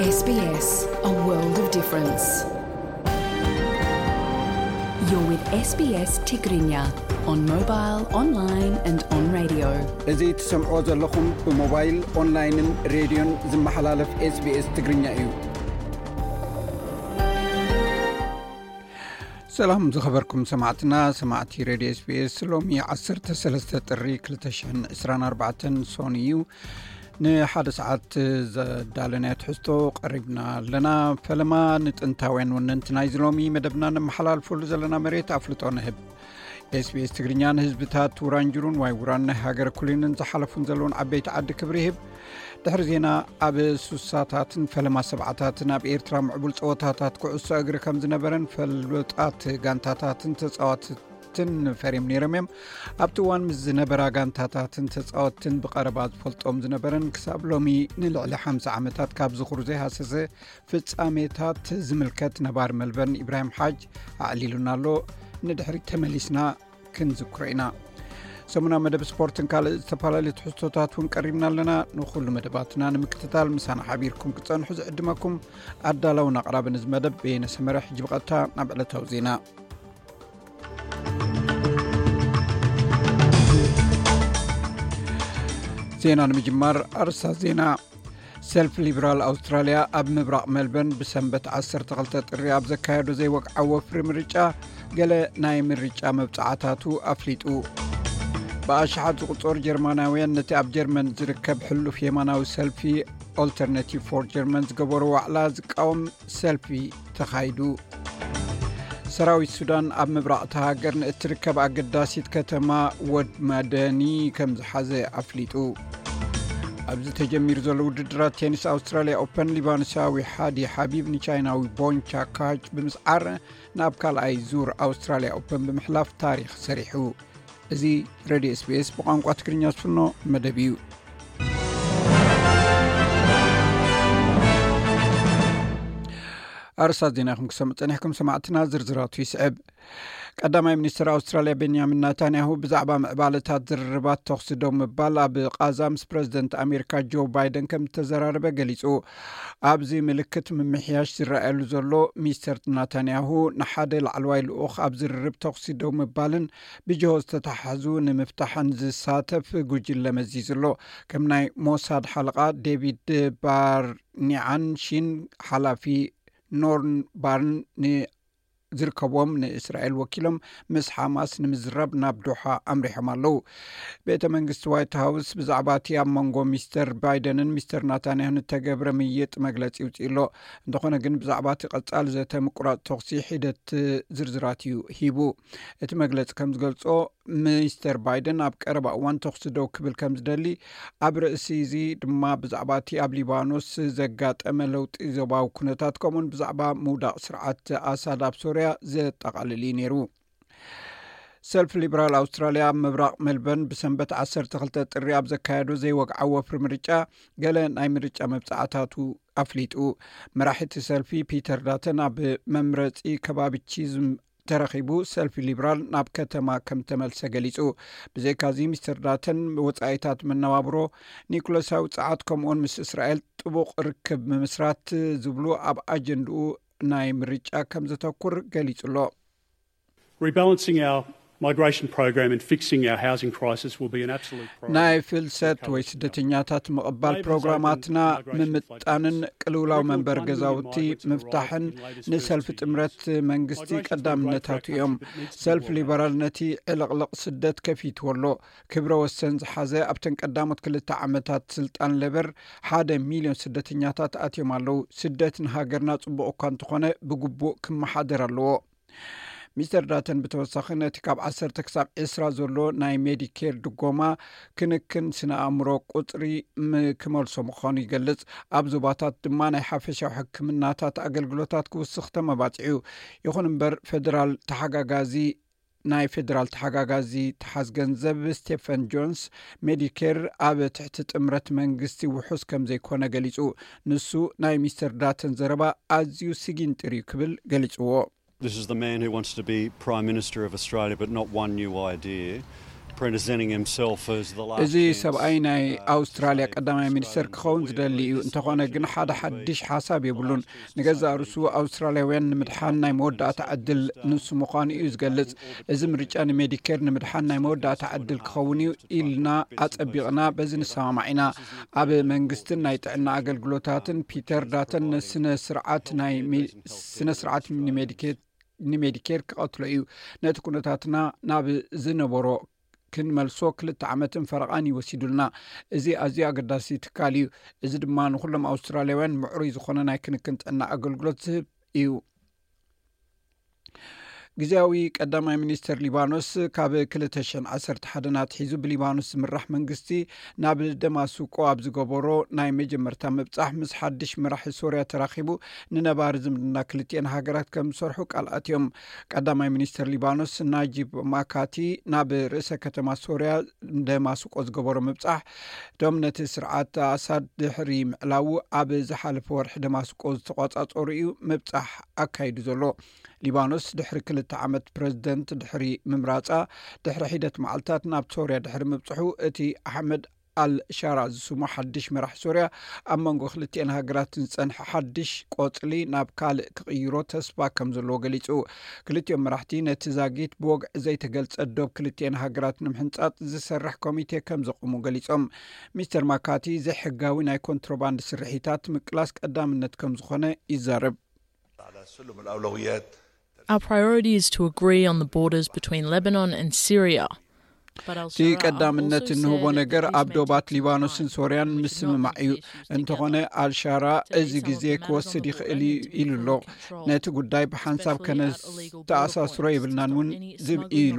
S B S, a world of difference. You're with S B S Tigrinya on mobile, online and on radio. እዚ ትሰምዕዎ ዘለኹም ብሞባይል፣ ኦንላይንን ሬድዮን ዝመሓላለፍ S B S ትግርኛ እዩ። ሰላም ዝኸበርኩም ሰማዕትና፣ ሰማዕቲ ሬድዮ S B S፣ ሎሚ ዓሰርተ ሰለስተ ጥሪ ክልተ ሽሕን ዕስራን ኣርባዕተን ሶኒ እዩ። ንሓደ ሰዓት ዘዳለናዮ ትሕዝቶ ቀሪብና ኣለና። ፈለማ ንጥንታውያን ወነንቲ ናይዚ ሎሚ መደብና ነመሓላልፈሉ ዘለና መሬት ኣፍልጦ ንህብ። S B S ትግርኛ ንህዝብታት ውራንጅሩን ዋይ ውራን ናይ ሃገረ ኩሊንን ዝሓለፉን ዘለውን ዓበይቲ ዓዲ ክብሪ ይህብ። ድሕሪ ዜና፣ ኣብ ሱሳታትን ፈለማ ሰብዓታትን ኣብ ኤርትራ ምዕቡል ጸወታታት ኩዕሶ እግሪ ከም ዝነበረን ፈሉጣት ጋንታታትን ተጻዋትትን ፈርዮም ነይሮም እዮም። ኣብቲ እዋን ምስ ዝነበራ ጋንታታትን ተጻወትትን ብቐረባ ዝፈልጦም ዝነበረን ክሳብ ሎሚ ንልዕሊ ሓምሳ ዓመታት ካብ ዝኽሩ ዘይሃሰሰ ፍጻሜታት ዝምልከት ነባሪ መልበርን ኢብራሂም ሓጅ ኣዕሊሉና ኣሎ። ንድሕሪት ተመሊስና ክንዝክሮ ኢና። ሰሙናዊ መደብ ስፖርትን ካልእ ዝተፈላለዩ ትሕዝቶታት እውን ቀሪብና ኣለና። ንኹሉ መደባትና ንምክትታል ምሳና ሓቢርኩም ክትጸንሑ ዝዕድመኩም ኣዳላውን ኣቕራብን እዚ መደብ በየነ ሰመረ። ሕጂ ብቐጥታ ናብ ዕለታዊ ዜና። ዜና ንምጅማር ኣርእስታት ዜና። ሰልፊ ሊበራል ኣውስትራልያ ኣብ ምብራቕ ሜልበርን ብሰንበት ዓሰርተ ክልተ ጥሪ ኣብ ዘካየዶ ዘይወግዓዊ ወፍሪ ምርጫ፣ ገለ ናይ ምርጫ መብጽዓታቱ ኣፍሊጡ። ብኣሽሓት ዝቑጸሩ ጀርመናውያን ነቲ ኣብ ጀርመን ዝርከብ ሕሉፍ የማናዊ ሰልፊ ኦልተርናቲቭ ፎር ጀርመን ዝገበሮ ዋዕላ ዝቃወም ሰልፊ ተኻይዱ። ሰራዊት ሱዳን ኣብ ምብራቕ እታ ሃገር ንእትርከብ ኣገዳሲት ከተማ ወድ መደኒ ከም ዝሓዘ ኣፍሊጡ። ኣብዚ ተጀሚሩ ዘሎ ውድድራት ቴኒስ ኣውስትራልያ ኦፐን፣ ሊባኖሳዊ ሓዲ ሓቢብ ንቻይናዊ ቦንቻ ካች ብምስዓር ናብ ካልኣይ ዙር ኣውስትራልያ ኦፐን ብምሕላፍ ታሪኽ ሰሪሑ። እዚ ሬድዮ S B S ብቋንቋ ትግርኛ ዝፍኖ መደብ እዩ። ኣርእስታት ዜና ኢኹም ክሰምዑ ጸኒሕኩም ሰማዕትና፣ ዝርዝራቱ ይስዕብ። ቀዳማይ ሚኒስትር ኣውስትራልያ ቤንያሚን ናታንያሁ ብዛዕባ ምዕባለታት ዝርርባት ተኹሲ ደው ምባል ኣብ ቓዛ ምስ ፕረዚደንት ኣሜሪካ ጆ ባይደን ከም እተዘራረበ ገሊጹ። ኣብዚ ምልክት ምምሕያሽ ዝረኣየሉ ዘሎ፣ ሚስተር ናታንያሁ ንሓደ ላዕለዋይ ልኡኽ ኣብ ዝርርብ ተኹሲ ደው ምባልን ብጅሆ ዝተተሓዙ ንምፍታሕን ዝሳተፍ ጉጅለ መዚዙ ኣሎ። ከም ናይ ሞሳድ ሓለቓ ዴቪድ ባርኒዓን ሺን ሓላፊ ኖርን ባርን ን ዝርከብዎም ንእስራኤል ወኪሎም ምስ ሓማስ ንምዝራብ ናብ ዶሓ ኣምሪሖም ኣለዉ። ቤተ መንግስቲ ዋይት ሃውስ ብዛዕባ እቲ ኣብ መንጎ ሚስተር ባይደንን ሚስተር ናታንያሁን እተገብረ ምይይጥ መግለጺ ይውጽእ ኣሎ። እንተኾነ ግን ብዛዕባ እቲ ቀጻሊ ዘተ ምቁራጽ ተኹሲ ሒደት ዝርዝራት እዩ ሂቡ። እቲ መግለጺ ከም ዝገልጾ፣ ሚስተር ባይደን ኣብ ቀረባ እዋን ተኹሲ ደው ክብል ከም ዝደሊ፣ ኣብ ርእሲ እዚ ድማ ብዛዕባ እቲ ኣብ ሊባኖስ ዘጋጠመ ለውጢ ዞባዊ ኩነታት፣ ከምኡውን ብዛዕባ ምውዳቕ ስርዓት ኣሳድ ኣብ ሶርያ ዘጠቓልል እዩ ነይሩ። ሰልፊ ሊበራል ኣውስትራልያ ኣብ ምብራቕ ሜልበርን ብሰንበት ዓሰርተ ክልተ ጥሪ ኣብ ዘካየዶ ዘይወግዓዊ ወፍሪ ምርጫ፣ ገለ ናይ ምርጫ መብጻዕታቱ ኣፍሊጡ። መራሒ እቲ ሰልፊ ፒተር ዳተን ኣብ መምረጺ ከባቢ ቺዝም ተረኺቡ፣ ሰልፊ ሊበራል ናብ ከተማ ከም ተመልሰ ገሊጹ። ብዘይካዚ፣ ሚስተር ዳተን ወጻኢታት መነባብሮ፣ ኒኩለሳዊ ጸዓት፣ ከምኡውን ምስ እስራኤል ጥቡቕ ርክብ ምምስራት ዝብሉ ኣብ ኣጀንድኡ ናይ ምርጫ ከም ዘተኩር ገሊጹ ኣሎ። Rebalancing our migration program and fixing our housing crisis will be an absolute priority. ናይ ፍልሰት ወይ ስደተኛታት ምቕባል ፕሮግራማትና ምምጣንን ቅልውላው መንበሪ ገዛውቲ ምፍታሕን ንሰልፊ ጥምረት መንግስቲ ቀዳምነታቱ እዮም። ሰልፊ ሊበራል ነቲ ዕልቕልቕ ስደት ከፊትዎ ኣሎ። ክብረ ወሰን ዝሓዘ ኣብተን ቀዳሞት ክልተ ዓመታት ስልጣን ሌበር ሓደ ሚልዮን ስደተኛታት ኣትዮም ኣለዉ። ስደት ንሃገርና ጽቡቕ እኳ እንተኾነ ብግቡእ ክመሓደር ኣለዎ። ሚስተር ዳተን ብተወሳኺ ነቲ ካብ ዓሰርተ ክሳብ ዕስራ ዘሎ ናይ ሜዲኬር ድጎማ ክንክን ስነ ኣእምሮ ቁጽሪ ም-፣ ክመልሶ ምዃኑ ይገልጽ። ኣብ ዞባታት ድማ ናይ ሓፈሻዊ ሕክምናታት ኣገልግሎታት ክውስኽ ተመባጺዑ። ይኹን እምበር ፌደራል ተሓጋጋዚ፣ ናይ ፌደራል ተሓጋጋዚ ተሓዝ ገንዘብ ስቴፈን ጆንስ፣ ሜዲኬር ኣብ ትሕቲ ጥምረት መንግስቲ ውሑስ ከም ዘይኮነ ገሊጹ። ንሱ ናይ ሚስተር ዳተን ዘረባ ኣዝዩ ስጊንጢር እዩ ክብል ገሊጽዎ። This is the man who wants to be Prime Minister of Australia, but not one new idea. presenting himself as the last እዚ chance, ሰብኣይ ናይ uh, ኣውስትራልያ ቀዳማይ ሚኒስተር ክኸውን ዝደሊ እዩ። እንተኾነ ግን ሓደ ሓድሽ ሓሳብ የብሉን። ንገዛእ ርእሱ ኣውስትራልያውያን ንምድሓን ናይ መወዳእታ ዕድል ንሱ ምዃኑ እዩ ዝገልጽ። እዚ ምርጫ ንሜዲኬር ንምድሓን ናይ መወዳእታ ዕድል ክኸውን እዩ ኢልና ኣጸቢቕና በዚ ንሰማማዕ ኢና። ኣብ መንግስትን ናይ ጥዕና ኣገልግሎታትን ፒተር ዳተን ስነ ስርዓት ናይ ሜ- ስነ ስርዓት ንሜዲኬር ንሜዲኬር ክቐትሎ እዩ። ነቲ ኩነታትና ናብ ዝነበሮ ክንመልሶ ክልተ ዓመትን ፈረቓን ይወሲዱልና። እዚ ኣዝዩ ኣገዳሲ ትካል እዩ። እዚ ድማ ንኩሎም ኣውስትራልያውያን ምዕሩይ ዝኾነ ናይ ክንክን ጥዕና ኣገልግሎት ዝህብ እዩ። ግዜያዊ ቀዳማይ ሚኒስተር ሊባኖስ ካብ ክልተ ሽሕን ዓሰርተ ሓደን ኣትሒዙ ብሊባኖስ ዝምራሕ መንግስቲ ናብ ደማስቆ ኣብ ዝገበሮ ናይ መጀመርታ ምብጻሕ ምስ ሓድሽ መራሒ ሶርያ ተራኺቡ ንነባሪ ዝምድና ክልቲኤን ሃገራት ከም ዝሰርሑ ቃል ኣትዮም። ቀዳማይ ሚኒስተር ሊባኖስ ናጂብ ማካቲ ናብ ርእሰ ከተማ ሶርያ ደማስቆ ዝገበሮ ምብጻሕ፣ እቶም ነቲ ስርዓት ኣሳድ ድሕሪ ምዕላዉ ኣብ ዝሓለፈ ወርሒ ደማስቆ ዝተቆጻጸሩ እዩ ምብጻሕ ኣካይዱ ዘሎ። ሊባኖስ ድሕሪ ክልተ ዓመት ፕረዚደንት ድሕሪ ምምራጻ፣ ድሕሪ ሒደት መዓልታት ናብ ሶርያ ድሕሪ ምብጽሑ፣ እቲ ኣሕመድ ኣል ሻራ ዝስሙ ሓድሽ መራሕ ሶርያ ኣብ መንጎ ክልቲኤን ሃገራት ዝጸንሐ ሓድሽ ቆጽሊ ናብ ካልእ ክቕይሮ ተስፋ ከም ዘለዎ ገሊጹ። ክልቲኦም መራሕቲ ነቲ ዛጊት ብወግዒ ዘይተገልጸ ዶብ ክልቲኤን ሃገራት ንምሕንጻጽ ዝሰርሕ ኮሚቴ ከም ዘቑሙ ገሊጾም። ሚስተር ማካቲ ዘይሕጋዊ ናይ ኮንትሮባንድ ስርሒታት ምቅላስ ቀዳምነት ከም ዝኾነ ይዛረብ። Our priority is to agree on the borders between Lebanon and Syria. እቲ ቀዳምነት እንህቦ ነገር ኣብ ዶባት ሊባኖስን ሶርያን ምስምማዕ እዩ። እንተኾነ ኣልሻራ እዚ ግዜ ክወስድ ይኽእል እዩ ኢሉ ኣሎ። ነቲ ጉዳይ ብሓንሳብ ከነተኣሳስሮ የብልናን እውን ዝብ ኢሉ።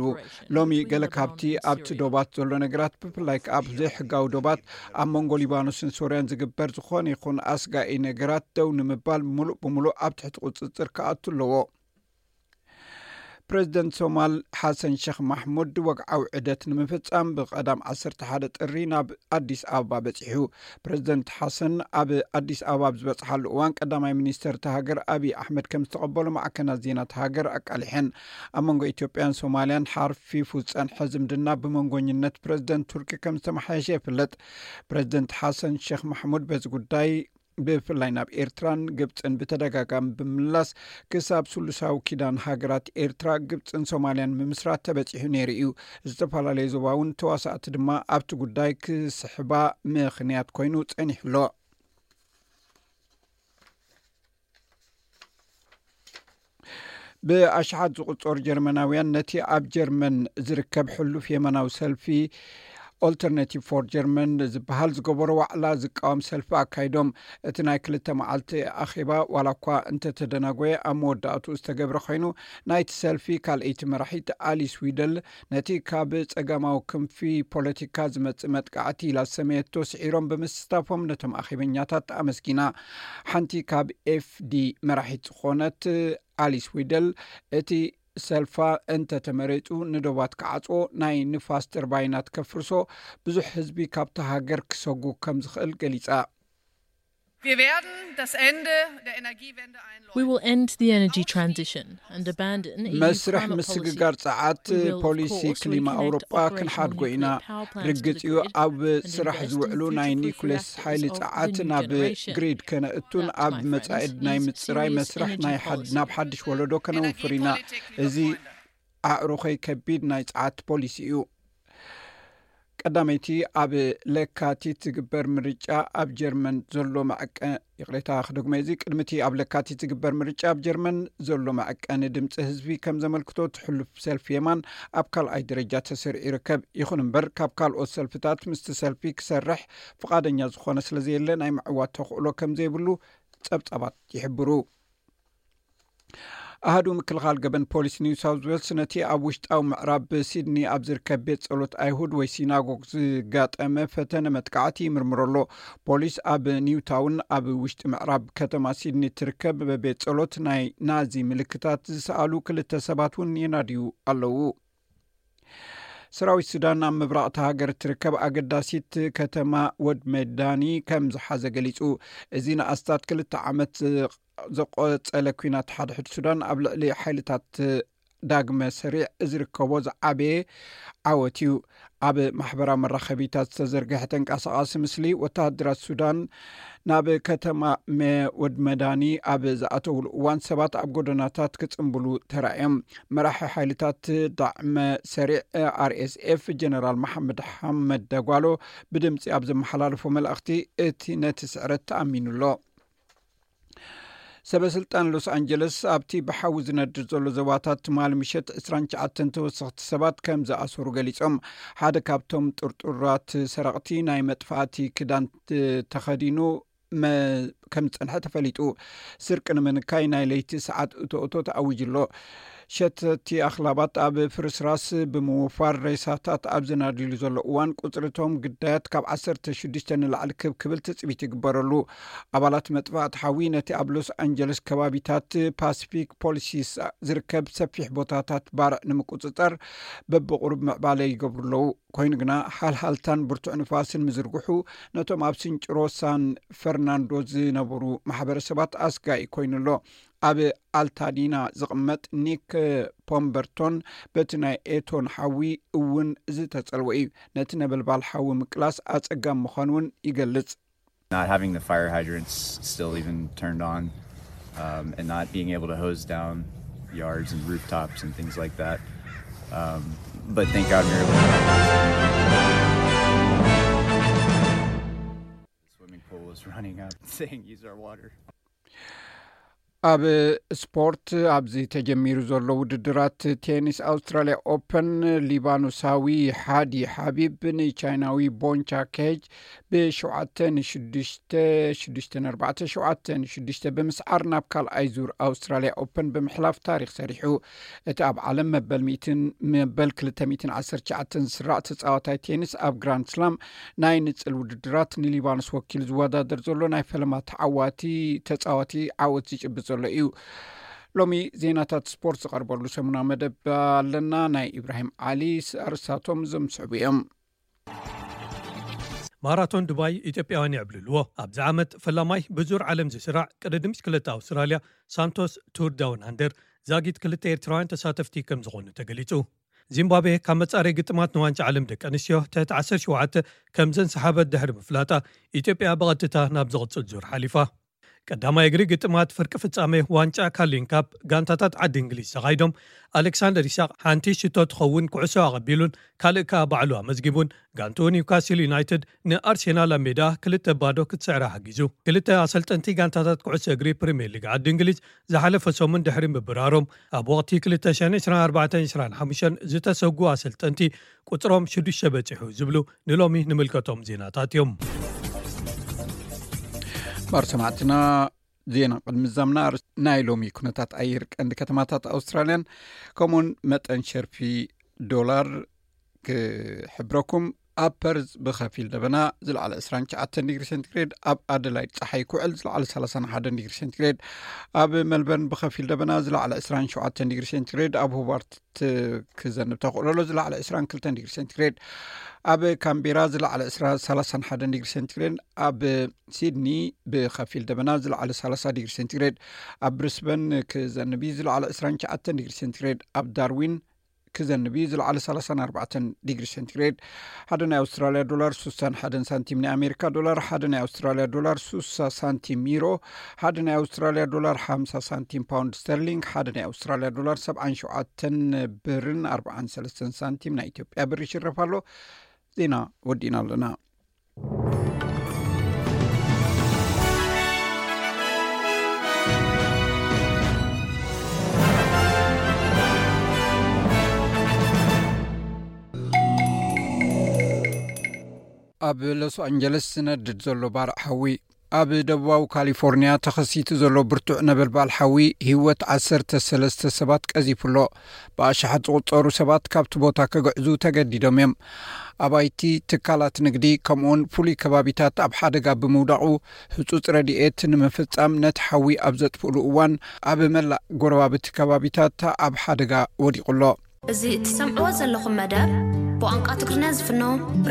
ሎሚ ገለ ካብቲ ኣብቲ ዶባት ዘሎ ነገራት፣ ብፍላይ ከኣ ኣብ ዘይሕጋዊ ዶባት ኣብ መንጎ ሊባኖስን ሶርያን ዝግበር ዝኾነ ይኹን ኣስጋኢ ነገራት ደው ንምባል፣ ምሉእ ብምሉእ ኣብ ትሕቲ ቁጽጽር ክኣቱ ኣለዎ። ፕረዚደንት ሶማል ሓሰን ሸኽ ማሕሙድ ወግዓዊ ዑደት ንምፍጻም ብቐዳም ዓሰርተ ሓደ ጥሪ ናብ ኣዲስ ኣበባ በጺሑ። ፕረዚደንት ሓሰን ኣብ ኣዲስ ኣበባ ኣብ ዝበጽሓሉ እዋን ቀዳማይ ሚኒስተር እታ ሃገር ኣብይ ኣሕመድ ከም ዝተቐበሎ ማዕከናት ዜና እታ ሃገር ኣቃሊሐን። ኣብ መንጎ ኢትዮጵያን ሶማልያን ሓርፊፉ ዝጸንሐ ዝምድና ብመንጎኝነት ፕረዚደንት ቱርኪ ከም ዝተመሓየሸ ይፍለጥ። ፕረዚደንት ሓሰን ሸኽ ማሕሙድ በዚ ጉዳይ ብፍላይ ናብ ኤርትራን ግብጽን ብተደጋጋሚ ብምምላስ ክሳብ ስሉሳዊ ኪዳን ሃገራት ኤርትራ፣ ግብጽን ሶማልያን ምምስራት ተበጺሑ ነይሩ እዩ። ዝተፈላለዩ ዞባውን ተዋሳእቲ ድማ ኣብቲ ጉዳይ ክስሕባ ምኽንያት ኮይኑ ጸኒሑ ኣሎ። ብኣሽሓት ዝቑጸሩ ጀርመናውያን ነቲ ኣብ ጀርመን ዝርከብ ሕሉፍ የመናዊ ሰልፊ ኦልተርናቲቭ ፎር ጀርመን ዝበሃል ዝገበሮ ዋዕላ ዝቃወም ሰልፊ ኣካይዶም። እቲ ናይ ክልተ መዓልቲ ኣኼባ ዋላ እኳ እንተተደናጎየ ኣብ መወዳእትኡ ዝተገብረ ኮይኑ ናይቲ ሰልፊ ካልኣይቲ መራሒት ኣሊስ ዊደል ነቲ ካብ ጸጋማዊ ክንፊ ፖለቲካ ዝመጽእ መጥቃዕቲ ኢላ ዝሰመየቶ ስዒሮም ብምስታፎም ነቶም ኣኼበኛታት ኣመስጊና። ሓንቲ ካብ ኤፍዲ መራሒት ዝኾነት ኣሊስ ዊደል እቲ ሰልፋ እንተተመሬጹ ንዶባት ክዓጽዎ ናይ ንፋስ ተርባይናት ከፍርሶ ብዙሕ ህዝቢ ካብታ ሃገር ክሰጉ ከም ዝኽእል ገሊጻ። Wir werden das Ende der Energiewende einläuten. We will end the energy transition and abandon E U መስርሕ climate ምስግጋር policy. ጸዓት ፖሊሲ ክሊማ ኣውሮጳ ክንሓድጎ ኢና። ርግጽ እዩ ኣብ ስራሕ ዝውዕሉ ናይ ኒኩሌስ ሓይሊ ጸዓት ናብ ግሪድ ከነእቱን ኣብ መጻኢድ ናይ ምጽራይ መስርሕ ናይ ናብ ሓድሽ ወለዶ ከነውፍር ኢና። እዚ ኣዕሩኸይ ከቢድ ናይ ጸዓት ፖሊሲ እዩ። ቀዳመይቲ ኣብ ለካቲት ዝግበር ምርጫ ኣብ ጀርመን ዘሎ መዐቀ ይቕሬታ ክደግሞ እዚ ቅድሚቲ ኣብ ለካቲት ዝግበር ምርጫ ኣብ ጀርመን ዘሎ መዐቀኒ ድምፂ ህዝቢ ከም ዘመልክቶ ትሕሉፍ ሰልፊ የማን ኣብ ካልኣይ ደረጃ ተሰሪዑ ይርከብ። ይኹን እምበር ካብ ካልኦት ሰልፍታት ምስቲ ሰልፊ ክሰርሕ ፍቓደኛ ዝኾነ ስለዘየለ ናይ ምዕዋት ተኽእሎ ከም ዘይብሉ ጸብጻባት ይሕብሩ። ኣሃዱ ምክልኻል ገበን ፖሊስ ኒው ሳውዝ ዌልስ ነቲ ኣብ ውሽጣዊ ምዕራብ ሲድኒ ኣብ ዝርከብ ቤት ጸሎት ኣይሁድ ወይ ሲናጎግ ዝጋጠመ ፈተነ መጥቃዕቲ ይምርምሮ ኣሎ። ፖሊስ ኣብ ኒውታውን ኣብ ውሽጢ ምዕራብ ከተማ ሲድኒ ትርከብ ቤት ጸሎት ናይ ናዚ ምልክታት ዝሰኣሉ ክልተ ሰባት እውን የናድዩ ኣለዉ። ሰራዊት ሱዳን ኣብ ምብራቕ እታ ሃገር እትርከብ ኣገዳሲት ከተማ ወድ መዳኒ ከም ዝሓዘ ገሊጹ። እዚ ንኣስታት ክልተ ዓመት ዘቆጸለ ኲናት ሓድሕድ ሱዳን ኣብ ልዕሊ ሓይልታት ዳግመ ሰሪዕ ዝርከቦ ዝዓበየ ዓወት እዩ። ኣብ ማሕበራዊ መራኸቢታት ዝተዘርግሐ ተንቀሳቓሲ ምስሊ፣ ወተሃደራት ሱዳን ናብ ከተማ መወድመዳኒ ኣብ ዝኣተውሉ እዋን ሰባት ኣብ ጎደናታት ክጽንብሉ ተራእዮም። መራሒ ሓይልታት ዳዕመ ሰሪዕ፣ ኣር ኤስ ኤፍ፣ ጀነራል መሓመድ ሓመድ ደጓሎ ብድምፂ ኣብ ዘመሓላለፎ መልእኽቲ፣ እቲ ነቲ ስዕረት ተኣሚኑ ኣሎ። ሰበ ስልጣን ሎስ ኣንጀለስ ኣብቲ ብሓዊ ዝነድድ ዘሎ ዞባታት ትማሊ ምሸት ዕስራን ትሽዓተን ተወሰኽቲ ሰባት ከም ዝኣሰሩ ገሊጾም። ሓደ ካብቶም ጥርጡራት ሰረቕቲ ናይ መጥፋእቲ ክዳን ት-፣ ተኸዲኑ መ-፣ ከም ዝጸንሐ ተፈሊጡ። ስርቂ ንምንካይ ናይ ለይቲ ሰዓት እቶ እቶ ተኣዊጁ ኣሎ። ሸተቲ ኣኽላባት ኣብ ፍርስራስ ብምውፋር ሬሳታት ኣብ ዝናድሉ ዘሎ እዋን፣ ቁጽሪ እቶም ግዳያት ካብ ዓሰርተ ሽዱሽተ ንላዕሊ ክብ ክብል ትጽቢት ይግበረሉ። ኣባላት መጥፋእቲ ሓዊ ነቲ ኣብ ሎስ ኣንጀለስ ከባቢታት ፓሲፊክ ፖሊሲስ ዝርከብ ሰፊሕ ቦታታት ባርዕ ንምቁጽጻር በብቑሩብ ምዕባለ ይገብሩ ኣለዉ። ኮይኑ ግና፣ ሓልሃልታን ብርቱዕ ንፋስን ምዝርግሑ ነቶም ኣብ ስንጭሮ ሳን ፈርናንዶ ዝነበሩ ማሕበረሰባት ኣስጋኢ ኮይኑ ኣሎ። ኣብ ኣልታዲና ዝቕመጥ ኒክ ፖምበርቶን በቲ ናይ ኤቶን ሓዊ እውን ዝተጸልወ እዩ። ነቲ ነበልባል ሓዊ ምቅላስ ኣጸጋሚ ምዃኑ እውን ይገልጽ። Not having the fire hydrants still even turned on, um, and not being able to hose down yards and rooftops and things like that. Um, but thank God we were able to. The swimming pool was running up saying, "Use our water." ኣብ ስፖርት፣ ኣብዚ ተጀሚሩ ዘሎ ውድድራት ቴኒስ ኣውስትራልያ ኦፐን፣ ሊባኖሳዊ ሓዲ ሓቢብ ንቻይናዊ ቦንቻ ኬጅ ብሸውዓተ ንሽዱሽተ፣ ሽዱሽተ ንኣርባዕተ፣ ሸውዓተ ንሽዱሽተ ብምስዓር ናብ ካልኣይ ዙር ኣውስትራልያ ኦፐን ብምሕላፍ ታሪኽ ሰሪሑ። እቲ ኣብ ዓለም መበል ሚእትን መበል ክልተ ሚእትን ዓሰርተ ትሽዓተን ዝስራዕ ተጻዋታይ ቴኒስ፣ ኣብ ግራንድ ስላም ናይ ንጽል ውድድራት ንሊባኖስ ወኪሉ ዝወዳደር ዘሎ ናይ ፈለማ ተዓዋቲ ተጻዋቲ ዓወት ዝጭብጥ ዘሎ እዩ። ሎሚ ዜናታት ስፖርት ዝቐርበሉ ሰሙናዊ መደብ ኣለና። ናይ ኢብራሂም ዓሊ ኣርእስታቶም እዞም ዝስዕቡ እዮም። ማራቶን ዱባይ ኢትዮጵያውያን የዕብልልዎ። ኣብዚ ዓመት ፈላማይ ብዙር ዓለም ዝስራዕ ቅድድም ብሽክለታ ኣውስትራልያ ሳንቶስ ቱር ዳውን ኣንደር ዛጊት ክልተ ኤርትራውያን ተሳተፍቲ ከም ዝኾኑ ተገሊጹ። ዚምባብዌ ካብ መጻረይ ግጥማት ንዋንጫ ዓለም ደቂ ኣንስትዮ ትሕቲ ዓሰርተ ሸውዓተ ከም ዘንሰሓበት ድሕሪ ምፍላጣ፣ ኢትዮጵያ ብቐጥታ ናብ ዝቕጽል ዙር ሓሊፋ። ቀዳማይ እግሪ ግጥማት ፍርቂ ፍጻሜ ዋንጫ ካርሊን ካፕ ጋንታታት ዓዲ እንግሊዝ ተኻይዶም፣ ኣሌክሳንደር ኢሳቕ ሓንቲ ሽቶ ትኸውን ኩዕሶ ኣቐቢሉን ካልእ ከኣ ባዕሉ ኣመዝጊቡን፣ ጋንትኡ ኒውካስል ዩናይትድ ንኣርሴናል ኣብ ሜዳ ክልተ ባዶ ክትስዕራ ሓጊዙ። ክልተ ኣሰልጠንቲ ጋንታታት ኩዕሶ እግሪ ፕሪምየር ሊግ ዓዲ እንግሊዝ ዝሓለፈ ሰሙን ድሕሪ ምብራሮም፣ ኣብ ወቕቲ ክልተ ሽሕን ዕስራን ኣርባዕተን ዕስራን ሓሙሽተን ዝተሰጉ ኣሰልጠንቲ ቁጽሮም ሽዱሽተ በጺሑ ዝብሉ ንሎሚ ንምልከቶም ዜናታት እዮም። ባር ሰማዕትና፣ ዜና ቅድሚ ዛምና ኣርእስቲ ናይ ሎሚ ኩነታት ኣየር ቀንዲ ከተማታት ኣውስትራልያን ከምኡውን መጠን ሸርፊ ዶላር ክሕብረኩም። ኣብ ፐርዝ ብኸፊል ደበና ዝለዓለ ዕስራን ትሽዓተን ዲግሪ ሴንቲግሬድ፣ ኣብ ኣደላይድ ጸሓይ ክውዕል ዝለዓለ ሰላሳን ሓደን ዲግሪ ሴንቲግሬድ፣ ኣብ መልበርን ብኸፊል ደበና ዝለዓለ ዕስራን ሸውዓተን ዲግሪ ሴንቲግሬድ፣ ኣብ ሆባርት ክዘንብ ተኽእሎ ኣሎ ዝለዓለ ዕስራን ክልተን ዲግሪ ሴንቲግሬድ፣ ኣብ ካምቤራ ዝለዓለ ዕስራ፣ ሰላሳን ሓደን ዲግሪ ሴንቲግሬድ፣ ኣብ ሲድኒ ብኸፊል ደበና ዝለዓለ ሰላሳ ዲግሪ ሴንቲግሬድ፣ ኣብ ብሪስበን ክዘንብ እዩ ዝለዓለ ዕስራን ትሽዓተን ዲግሪ ሴንቲግሬድ፣ ኣብ ዳርዊን ክዘንብ እዩ ዝለዓለ ሰላሳን ኣርባዕተን ዲግሪ ሴንቲግሬድ። ሓደ ናይ ኣውስትራልያ ዶላር ሱሳን ሓደን ሳንቲም፣ ናይ ኣሜሪካ ዶላር ሓደ ናይ ኣውስትራልያ ዶላር ሱሳ ሳንቲም፣ ዩሮ ሓደ ናይ ኣውስትራልያ ዶላር ሓምሳ ሳንቲም፣ ፓውንድ ስተርሊንግ ሓደ ናይ ኣውስትራልያ ዶላር ሰብዓን ሸውዓተን ብርን ኣርባዓን ሰለስተን ሳንቲም ናይ ኢትዮጵያ ብር ይሽረፍ ኣሎ። ዜና ወዲእና ኣለና። ኣብ ሎስ ኣንጀለስ ዝነድድ ዘሎ ባርዕ ሓዊ። ኣብ ደቡባዊ ካሊፎርኒያ ተኸሲቱ ዘሎ ብርቱዕ ነበልባል ሓዊ ህይወት ዓሰርተ ሰለስተ ሰባት ቀዚፉ ኣሎ። ብኣሽሓት ዝቑጸሩ ሰባት ካብቲ ቦታ ክግዕዙ ተገዲዶም እዮም። ኣባይቲ፣ ትካላት ንግዲ፣ ከምኡውን ፍሉይ ከባቢታት ኣብ ሓደጋ ብምውዳቑ፣ ህጹጽ ረድኤት ንምፍጻም ነቲ ሓዊ ኣብ ዘጥፍእሉ እዋን፣ ኣብ መላእ ጎረባብቲ ከባቢታት ኣብ ሓደጋ ወዲቑ ኣሎ። እዚ እትሰምዕዎ ዘለኹም መደብ ብቋንቋ ትግርኛ ዝፍኖ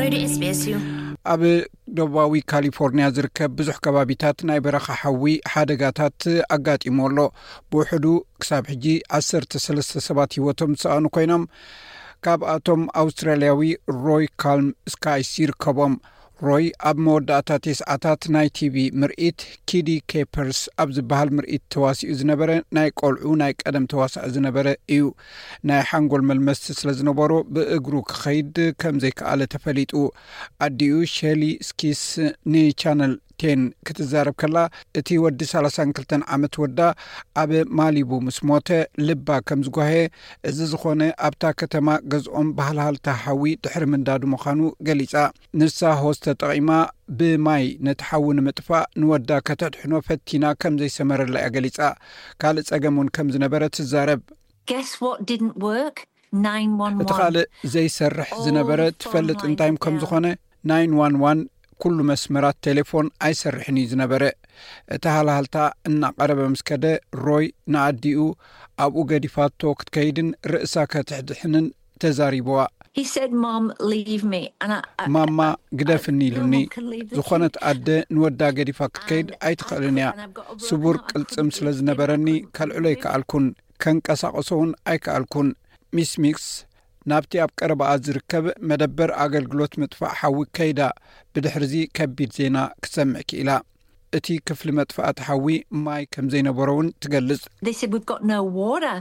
ሬድዮ ኤስ ቢ ኤስ እዩ። ኣብ ደቡባዊ ካሊፎርኒያ ዝርከብ ብዙሕ ከባቢታት ናይ በረኻ ሓዊ ሓደጋታት ኣጋጢሞ ኣሎ። ብውሕዱ ክሳብ ሕጂ ዓሰርተ ሰለስተ ሰባት ህይወቶም ዝሰኣኑ ኮይኖም፣ ካብኣቶም ኣውስትራልያዊ ሮይ ካልም ስካይስ ይርከቦም። ሮይ ኣብ መወዳእታ ተስዓታት ናይ ቲቪ ምርኢት ኪዲ ኬፐርስ ኣብ ዝበሃል ምርኢት ተዋሲኡ ዝነበረ ናይ ቆልዑ ናይ ቀደም ተዋሳኢ ዝነበረ እዩ። ናይ ሓንጎል መልመስቲ ስለ ዝነበሮ ብእግሩ ክኸይድ ከም ዘይከኣለ ተፈሊጡ። ኣዲኡ ሸሊ ስኪስ ንቻነል ቴን ክትዛረብ ከላ፣ እቲ ወዲ ሰላሳን ክልተን ዓመት ወዳ ኣብ ማሊቡ ምስ ሞተ ልባ ከም ዝጓሄ፣ እዚ ዝኾነ ኣብታ ከተማ ገዝኦም ባህልሃልታ ሓዊ ድሕሪ ምንዳዱ ምዃኑ ገሊጻ። ንሳ ሆስ ተጠቒማ ብማይ ነቲ ሓዊ ንምጥፋእ ንወዳ ከተድሕኖ ፈቲና ከም ዘይሰመረላ እያ ገሊጻ። ካልእ ጸገም እውን ከም ዝነበረ ትዛረብ። Guess what didn't work? Nine one one. እቲ ካልእ ዘይሰርሕ ዝነበረ ትፈልጥ እንታይ ከም ዝኾነ? ናይን ዋን ዋን። ኩሉ መስመራት ቴሌፎን ኣይሰርሕን እዩ ዝነበረ። እቲ ሃልሃልታ እናቐረበ ምስ ከደ፣ ሮይ ንኣዲኡ ኣብኡ ገዲፋቶ ክትከይድን ርእሳ ከተድሕንን ተዛሪብዋ። He said, "Mom, leave me." And I, I, ማማ ግደፍኒ no ኢሉኒ። one can leave the ዝኾነት kids. ኣደ ንወዳ ገዲፋ ክትከይድ ኣይትኽእልን እያ። ስቡር ቅልጽም ስለ ዝነበረኒ ከልዕሎ ኣይከኣልኩን፣ ከንቀሳቐሶ እውን ኣይከኣልኩን። ሚስ ሚክስ ናብቲ ኣብ ቀረባኣ ዝርከብ መደበር ኣገልግሎት ምጥፋእ ሓዊ ከይዳ፣ ብድሕርዚ ከቢድ ዜና ክትሰምዕ ክኢላ። እቲ ክፍሊ መጥፋእቲ ሓዊ ማይ ከም ዘይነበሮ እውን ትገልጽ። They said, "We've got no water."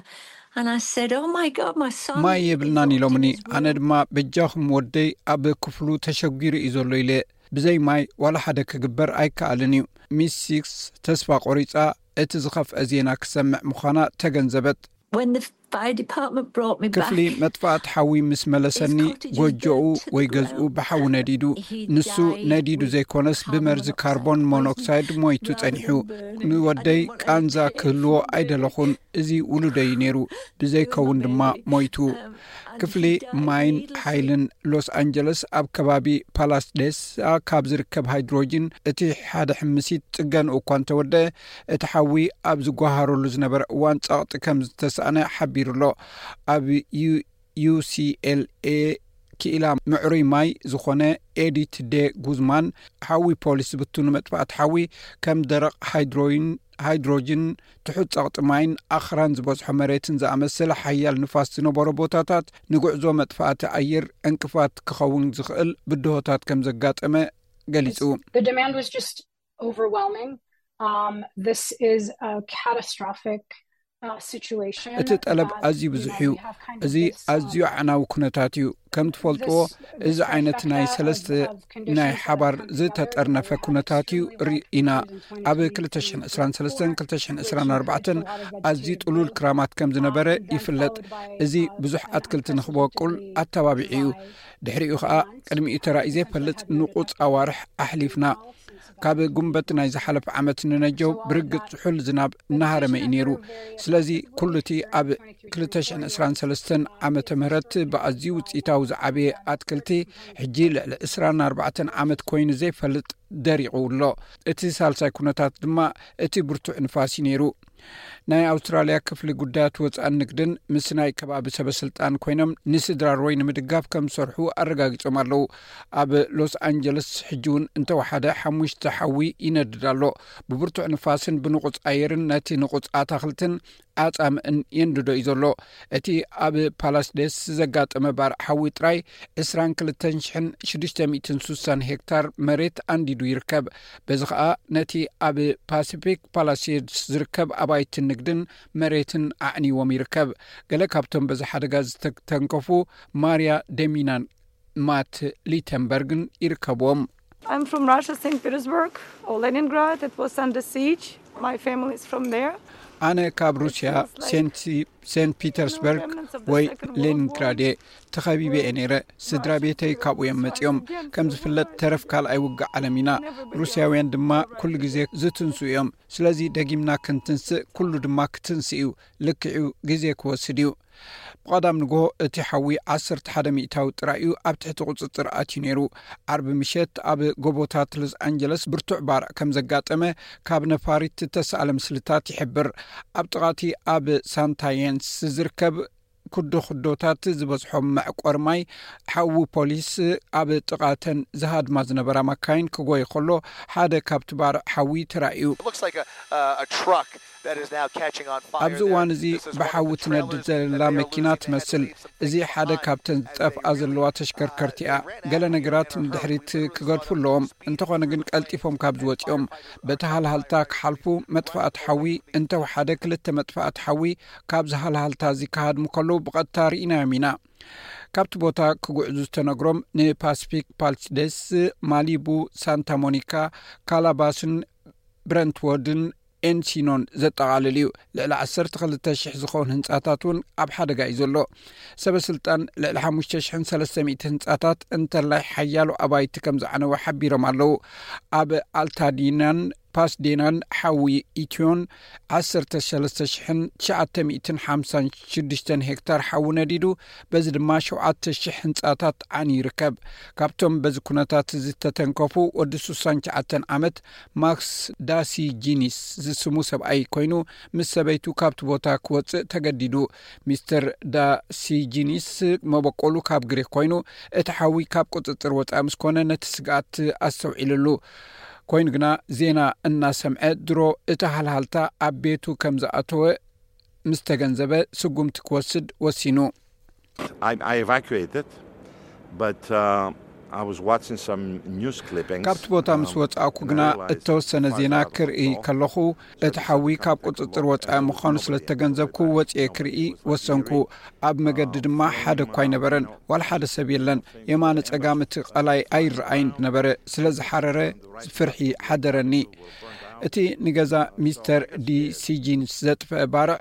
And I said, "Oh my God, my son ማይ is የብልናን locked in ኢሎምኒ። his ኣነ room." ድማ በጃኹም ወደይ ኣብ ክፍሉ ተሸጒሩ እዩ ዘሎ ኢለ። ብዘይ ማይ ዋላ ሓደ ክግበር ኣይከኣልን እዩ። ሚስ ሲክስ ተስፋ ቆሪጻ እቲ ዝኸፍአ ዜና ክሰምዕ ምዃና ተገንዘበት። When the fire department brought me ክፍሊ back, መጥፋእቲ ሓዊ ምስ መለሰኒ፣ ጎጆኡ ወይ ገዝኡ ብሓዊ ነዲዱ። ንሱ ነዲዱ ዘይኮነስ ብመርዚ ካርቦን ሞኖክሳይድ ሞይቱ ጸኒሑ። ንወደይ ቃንዛ ክህልዎ ኣይደለኹን። እዚ ውሉደይ ነይሩ፣ ብዘይከውን ድማ ሞይቱ። ክፍሊ ማይን ሓይልን ሎስ ኣንጀለስ ኣብ ከባቢ ፓላስዴስ ካብ ዝርከብ ሃይድሮጅን እቲ ሓደ ሕምሲት ጽገንኡ እኳ እንተወደአ፣ እቲ ሓዊ ኣብ ዝጓሃረሉ ዝነበረ እዋን ጸቕጢ ከም ዝተሳእነ ሓቢሩ ኣሎ። ኣብ ዩ- ዩ ሲ ኤል ኤ ክኢላ ምዕሩይ ማይ ዝኾነ ኤዲት ዴ ጉዝማን፣ ሓዊ ፖሊስ ዝብትኑ መጥፋእቲ ሓዊ ከም ደረቕ ሃይድሮይን ሃይድሮጅን፣ ትሑት ጸቕጢ ማይን ኣኽራን ዝበዝሖ መሬትን ዝኣመሰለ ሓያል ንፋስ ዝነበሮ ቦታታት ንጉዕዞ መጥፋእቲ ኣየር ዕንቅፋት ክኸውን ዝኽእል ብድሆታት ከም ዘጋጠመ ገሊጹ። The demand was just overwhelming. Um, this is a catastrophic uh, situation. እቲ ጠለብ ኣዝዩ ብዙሕ እዩ። እዚ ኣዝዩ ኣዕናዊ ኩነታት እዩ። ከም ትፈልጥዎ፣ እዚ ዓይነት ናይ ሰለስተ ናይ ሓባር ዝተጠርነፈ ኩነታት እዩ ርኢና። ኣብ ክልተ ሽሕን ዕስራን ሰለስተን ክልተ ሽሕን ዕስራን ኣርባዕተን ኣዝዩ ጥሉል ክራማት ከም ዝነበረ ይፍለጥ። እዚ ብዙሕ ኣትክልቲ ንኽበቁል ኣተባቢዑ እዩ። ድሕሪኡ ኸኣ ቅድሚኡ ተራእዩ ዘይፈልጥ ንቑጽ ኣዋርሕ ኣሕሊፍና። ካብ ጉንበት ናይ ዝሓለፈ ዓመት ንነጀው ብርግጽ ዝሑል ዝናብ እናሃረመ እዩ ነይሩ። ስለዚ ኩሉ እቲ ኣብ ክልተ ሽሕን ዕስራን ሰለስተን ዓመተ ምህረት ብኣዝዩ ውጽኢታዊ ዝዓበየ ኣትክልቲ፣ ሕጂ ልዕሊ ዕስራን ኣርባዕተን ዓመት ኮይኑ ዘይፈልጥ ደሪቑ ኣሎ። እቲ ሳልሳይ ኩነታት ድማ እቲ ብርቱዕ ንፋስ እዩ ነይሩ። ናይ ኣውስትራልያ ክፍሊ ጉዳያት ወጻእን ንግድን ምስ ናይ ከባቢ ሰበስልጣን ኮይኖም ንስድራ ሮይ ንምድጋፍ ከም ዝሰርሑ ኣረጋጊጾም ኣለዉ። ኣብ ሎስ ኣንጀለስ ሕጂ እውን እንተወሓደ ሓሙሽተ ሓዊ ይነድድ ኣሎ። ብብርቱዕ ንፋስን ብንቑጽ ኣየርን ነቲ ንቑጽ ኣታኽልትን ኣጻምእን የንድዶ እዩ ዘሎ። እቲ ኣብ ፓላስዴስ ዘጋጠመ ባርዕ ሓዊ ጥራይ ዕስራን ክልተን ሽሕን ሽዱሽተ ሚእትን ስሳን ሄክታር መሬት ኣንዲዱ ይርከብ። በዚ ኸኣ ነቲ ኣብ ፓሲፊክ ፓላሴድስ ዝርከብ ኣባይትን ንግድን መሬትን ኣዕንይዎም ይርከብ። ገለ ካብቶም በዚ ሓደጋ ዝተተንከፉ ማርያ ደሚናን ማት ሊተንበርግን ይርከብዎም። I'm from Russia, Saint Petersburg, or Leningrad. It was under siege. My family is from there. ኣነ ካብ ሩስያ ሴንት ፒተርስበርግ ወይ ሌኒንግራድ እየ። ተኸቢበ እየ ነይረ። ስድራ ቤተይ ካብኡ እዮም መጺኦም። ከም ዝፍለጥ፣ ተረፍ ካልኣይ ውግእ ዓለም ኢና። ሩስያውያን ድማ ኩሉ ግዜ ዝትንሱ እዮም። ስለዚ ደጊምና ክንትንስእ፣ ኩሉ ድማ ክትንስእ እዩ። ልክዕ እዩ፣ ግዜ ክወስድ እዩ። ብቐዳም ንግሆ እቲ ሓዊ ዓሰርተ ሓደ ሚእታዊ ጥራይ እዩ ኣብ ትሕቲ ቁጽጽር ኣትዩ ነይሩ። ዓርቢ ምሸት ኣብ ጎቦታት ሎስ ኣንጀለስ ብርቱዕ ባርዕ ከም ዘጋጠመ ካብ ነፋሪት እተሳእለ ምስልታት ይሕብር። ኣብ ጥቓቲ ኣብ ሳንታየንስ ዝርከብ ኩዶ ኩዶታት ዝበዝሖም መዕቆር ማይ ሓዊ ፖሊስ ኣብ ጥቓተን ዝሃድማ ዝነበራ ማካይን ክጎይ ከሎ ሓደ ካብቲ ባርዕ ሓዊ ተራእዩ። It looks like a, uh, a truck that is now catching on fire. ኣብዚ እዋን እዚ ብሓዊ ትነድድ ዘላ መኪና ትመስል። እዚ ሓደ ካብተን ዝጠፍኣ ዘለዋ ተሽከርከርቲ እያ። ገለ ነገራት ንድሕሪት ክገድፉ ኣለዎም። እንተኾነ ግን ቀልጢፎም ካብ ዝወፅኦም በቲ ሃልሃልታ ክሓልፉ መጥፋእቲ ሓዊ እንተወሓደ ክልተ መጥፋእቲ ሓዊ ካብዚ ሃልሃልታ እዚ ክሃድሙ ከለዉ ብቐጥታ ርኢናዮም ኢና። ካብቲ ቦታ ክጉዕዙ ዝተነግሮም ንፓሲፊክ ፓልስዴስ፣ ማሊቡ፣ ሳንታ ሞኒካ፣ ካላባስን ብረንትወርድን ኤንሲኖን ዘጠቓልል እዩ። ልዕሊ ዓሰርተ ክልተ ሽሕ ዝኸውን ህንጻታት እውን ኣብ ሓደጋ እዩ ዘሎ። ሰበ ስልጣን ልዕሊ ሓሙሽተ ሽሕን ሰለስተ ሚእቲ ህንጻታት እንተላይ ሓያሎ ኣባይቲ ከም ዝዓነወ ሓቢሮም ኣለዉ። ኣብ ኣልታዲናን ፓስዴናን ሓዊ ኢትዮን ዓሰርተ ሰለስተ ሽሕን ትሽዓተ ሚእትን ሓምሳን ሽዱሽተን ሄክታር ሓዊ ነዲዱ፣ በዚ ድማ ሸውዓተ ሽሕ ህንጻታት ዓንዩ ይርከብ። ካብቶም በዚ ኩነታት እዚ ዝተተንከፉ ወዲ ስሳን ትሽዓተን ዓመት ማክስ ዳሲጂኒስ ዝስሙ ሰብኣይ ኮይኑ፣ ምስ ሰበይቱ ካብቲ ቦታ ክወጽእ ተገዲዱ። ሚስተር ዳሲጂኒስ መበቆሉ ካብ ግሪክ ኮይኑ፣ እቲ ሓዊ ካብ ቁጽጽር ወጻኢ ምስ ኮነ ነቲ ስግኣት ኣስተውዒልሉ። ኮይኑ ግና ዜና እናሰምዐ ድሮ እቲ ሃልሃልታ ኣብ ቤቱ ከም ዝኣተወ ምስ ተገንዘበ ስጉምቲ ክወስድ ወሲኑ። I, I evacuated, but uh, I was watching some news clippings. ካብቲ ቦታ ምስ um, ወጻእኩ and I ግና realized እተወሰነ that ዜና five hours ክርኢ ago, ከለኹ እቲ ሓዊ ካብ ቁጽጽር ወጻኢ ምዃኑ ስለ ዝተገንዘብኩ ወጽኤ ክርኢ ወሰንኩ። ኣብ መገዲ ድማ ሓደ እኳ ኣይነበረን፣ ዋላ ሓደ ሰብ የለን። የማነ ጸጋም እቲ ቀላይ ኣይረኣይን ነበረ። ስለ ዝሓረረ ፍርሒ ሓደረኒ። እቲ ንገዛ ሚስተር ዲ ሲጂንስ ዘጥፍአ ባርዕ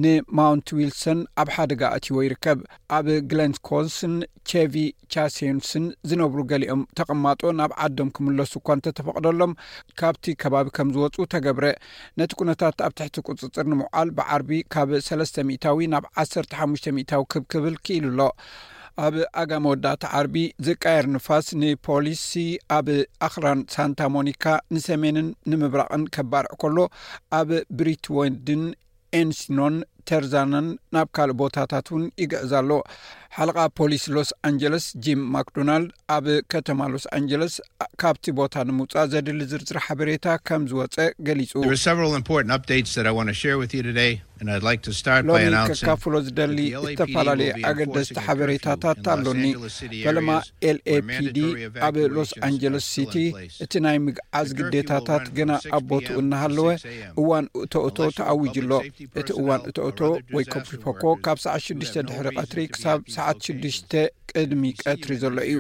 ንማውንት ዊልሰን ኣብ ሓደጋ ኣትይዎ ይርከብ። ኣብ ግለንኮስን ቼቪ ቻሴንስን ዝነብሩ ገሊኦም ተቐማጦ ናብ ዓዶም ክምለሱ እኳ እንተተፈቕደሎም፣ ካብቲ ከባቢ ከም ዝወፁ ተገብረ። ነቲ ኩነታት ኣብ ትሕቲ ቁፅፅር ንምውዓል ብዓርቢ ካብ ሰለስተ ሚእታዊ ናብ ዓሰርተ ሓሙሽተ ሚእታዊ ክብ ክብል ክኢሉ ኣሎ። ኣብ ኣጋ መወዳእታ ዓርቢ ዝቃየር ንፋስ ንፖሊሲ ኣብ ኣኽራን ሳንታ ሞኒካ ንሰሜንን ንምብራቕን ከባርዕ ከሎ፣ ኣብ ብሪትወንድን ኤንሲኖን ተርዛናን ናብ ካልእ ቦታታት እውን ይግዕዝ ኣሎ። ሓለቓ ፖሊስ ሎስ ኣንጀለስ ጂም ማክዶናልድ ኣብ ከተማ ሎስ ኣንጀለስ ካብቲ ቦታ ንምውፃእ ዘድሊ ዝርዝር ሓበሬታ ከም ዝወፀ ገሊፁ። There are several important updates that I want to share with you today, and I'd like to start by ሎሚ announcing ከካፍሎ ዝደሊ that the L A P D ዝተፈላለየ will be ኣገደስቲ enforcing a ሓበሬታታት curfew in Los ኣሎኒ። Angeles City ፈለማ areas where ኤልኤፒዲ mandatory ኣብ evacuations ሎስ are ኣንጀለስ still ሲቲ in place. እቲ ናይ ምግዓዝ ግዴታታት ገና ኣብ ቦትኡ እናሃለወ እዋን እቶእቶ ተኣዊጁ ኣሎ። እቲ እዋን እቶእቶ ወይ ኮፍሪፎኮ ካብ ሰዓት ሽዱሽተ ድሕሪ ቀትሪ ክሳብ ሰዓት ሽዱሽተ ቅድሚ ቀትሪ ዘሎ እዩ።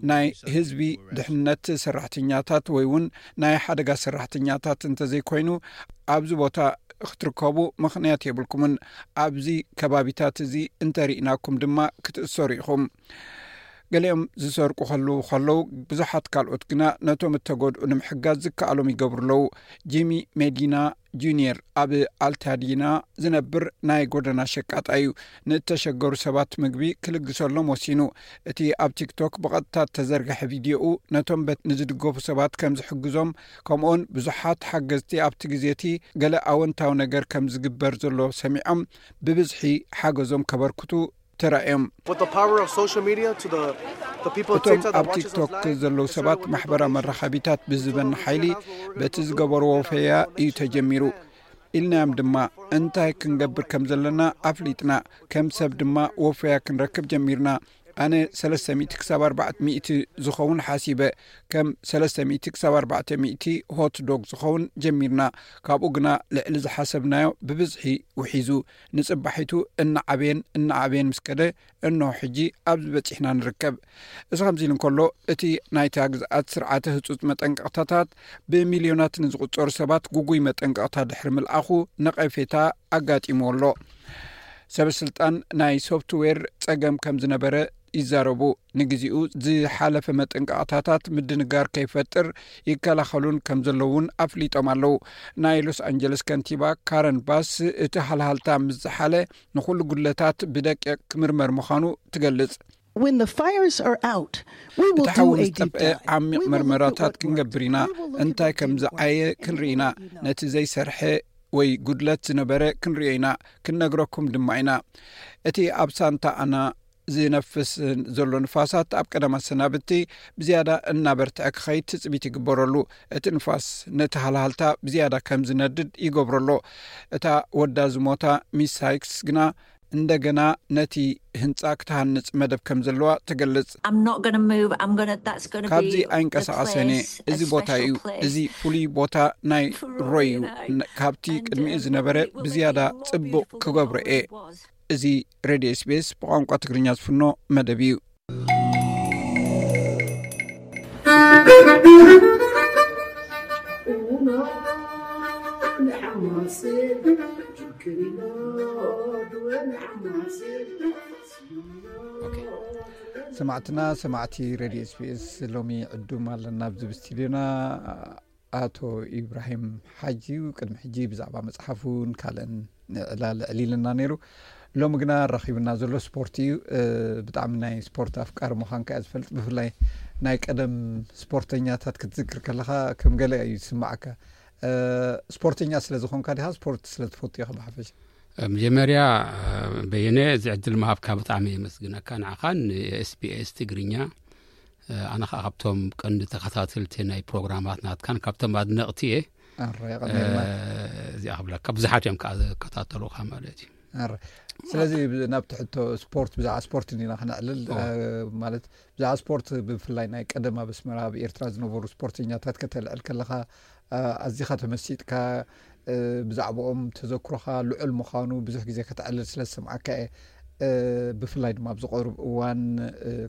ናይ ህዝቢ ድሕነት ሰራሕተኛታት ወይ እውን ናይ ሓደጋ ሰራሕተኛታት እንተዘይኮይኑ ኣብዚ ቦታ ክትርከቡ ምኽንያት የብልኩምን። ኣብዚ ከባቢታት እዚ እንተርኢናኩም ድማ ክትእሰሩ ኢኹም። ገሊኦም ዝሰርቁ ከለዉ ከለዉ ብዙሓት ካልኦት ግና ነቶም እተጎድኡ ንምሕጋዝ ዝከኣሎም ይገብሩ ኣለዉ። ጂሚ ሜዲና ጁኒየር ኣብ ኣልታዲና ዝነብር ናይ ጎደና ሸቃጣ እዩ። ንእተሸገሩ ሰባት ምግቢ ክልግሰሎም ወሲኑ። እቲ ኣብ ቲክቶክ ብቐጥታ እተዘርግሐ ቪድዮኡ ነቶም በት ንዝድገፉ ሰባት ከም ዝሕግዞም፣ ከምኡውን ብዙሓት ሓገዝቲ ኣብቲ ግዜ እቲ ገለ ኣወንታዊ ነገር ከም ዝግበር ዘሎ ሰሚዖም ብብዝሒ ሓገዞም ከበርክቱ ተራእዮም። With the power of social media to the the people of እቶም TikTok that ኣብ watches us ቲክቶክ live, ዘለዉ ሰባት ማሕበራዊ መራኸቢታት ብዝበን ሓይሊ በቲ ዝገበርዎ ወፈያ እዩ ተጀሚሩ ኢልናዮም ድማ እንታይ ክንገብር ከም ዘለና ኣፍሊጥና፣ ከም ሰብ ድማ ወፈያ ክንረክብ ጀሚርና። ኣነ ሰለስተ ሚእቲ ክሳብ ኣርባዕተ ሚእቲ ዝኸውን ሓሲበ፣ ከም ሰለስተ ሚእቲ ክሳብ ኣርባዕተ ሚእቲ ሆት ዶግ ዝኸውን ጀሚርና። ካብኡ ግና ልዕሊ ዝሓሰብናዮ ብብዝሒ ውሒዙ፣ ንጽባሒቱ እናዓበየን እናዓበየን ምስ ከደ፣ እንሆ ሕጂ ኣብዚ በጺሕና ንርከብ። እዚ ከምዚ ኢሉ እንከሎ፣ እቲ ናይታ ግዝኣት ስርዓተ ህጹጽ መጠንቀቕታታት ብሚልዮናት ንዝቑጸሩ ሰባት ጉጉይ መጠንቀቕታ ድሕሪ ምልኣኹ ነቐፌታ ኣጋጢምዎ ኣሎ። ሰበ ስልጣን ናይ ሶፍትዌር ጸገም ከም ዝነበረ ይዛረቡ። ንግዚኡ ዝሓለፈ መጠንቀቕታታት ምድንጋር ከይፈጥር ይከላኸሉን ከም ዘለውን ኣፍሊጦም ኣለዉ። ናይ ሎስ ኣንጀለስ ከንቲባ ካረን ባስ እቲ ሃልሃልታ ምስ ዝሓለ ንኹሉ ጉድለታት ብደቂቕ ክምርመር ምዃኑ ትገልጽ። When the fires are out, we will እቲ ሓዊ do a ምስ deep ጠፍአ dive. ዓሚቕ We will look at መርመራታት what worked. ክንገብር ኢና። We will look at እንታይ the ከም deep work. ዝዓየ And ክንርኢ we ኢና። will let you know. ነቲ ዘይሰርሐ ወይ ጉድለት ዝነበረ ክንርእዮ ኢና፣ ክንነግረኩም ድማ ኢና። እቲ ኣብ ሳንታ ኣና ዝነፍስ ዘሎ ንፋሳት ኣብ ቀደም ኣሰናብቲ ብዝያዳ እናበርትዐ ክኸይድ ትጽቢት ይግበረሉ። እቲ ንፋስ ነቲ ሃልሃልታ ብዝያዳ ከም ዝነድድ ይገብረሎ። እታ ወዳ ዝሞታ ሚስ ሳይክስ ግና እንደገና ነቲ ህንጻ ክትሃንጽ መደብ ከም ዘለዋ ትገልጽ። I'm not going to move. I'm going to, that's going to ካብዚ be the ኣይንቀሳቐሰን እየ። Place, እዚ ቦታ እዩ። Place እዚ ፍሉይ ቦታ ናይ ሮይ እዩ። ካብቲ ቅድሚኡ ዝነበረ ብዝያዳ ጽቡቕ ክገብሮ እየ። እዚ ሬድዮ ኤስቢኤስ ብቋንቋ ትግርኛ ዝፍኖ መደብ እዩ። ሰማዕትና ሰማዕቲ ሬድዮ ኤስቢኤስ፣ ሎሚ ዕዱም ኣለና ኣብዚ ብስቱድዮና ኣቶ ኢብራሂም ሓጂ እዩ። ቅድሚ ሕጂ ብዛዕባ መፅሓፉን ካልእን ዕላል ዕሊልና ነይሩ። ሎሚ ግና ረኺብና ዘሎ ስፖርት እዩ። ብጣዕሚ ናይ ስፖርት ኣፍቃሪ ምዃንካ እየ ዝፈልጥ። ብፍላይ ናይ ቀደም ስፖርተኛታት ክትዝክር ከለኻ ከም ገለ እዩ ዝስማዓካ። ስፖርተኛ ስለ ዝኾንካ ዲኻ፣ ስፖርት ስለ ትፈቱ ኢኻ ብሓፈሻ? መጀመርያ በየነ፣ እዚ ዕድል ምሃብካ ብጣዕሚ የመስግነካ፣ ንዓኻን ንኤስቢኤስ ትግርኛ። ኣነ ከዓ ካብቶም ቀንዲ ተኸታተልቲ ናይ ፕሮግራማት ናትካን ካብቶም ኣድነቕቲ እየ። እዚኣ ክብለካ፣ ብዙሓት እዮም ከዓ ዝከታተሉካ ማለት እዩ። ስለዚ ናብ ትሕቶ ስፖርት፣ ብዛዕባ ስፖርት እንዲና ክነዕልል። ማለት ብዛዕባ ስፖርት፣ ብፍላይ ናይ ቀደም ኣብ ኣስመራ ኣብ ኤርትራ ዝነበሩ ስፖርተኛታት ከተልዕል ከለኻ፣ ኣዚኻ ተመሲጥካ፣ ብዛዕባኦም ተዘክሮኻ ልዑል ምዃኑ ብዙሕ ግዜ ከተዕልል ስለ ዝሰምዓካ እየ። ብፍላይ ድማ ኣብዚ ቀሩብ እዋን፣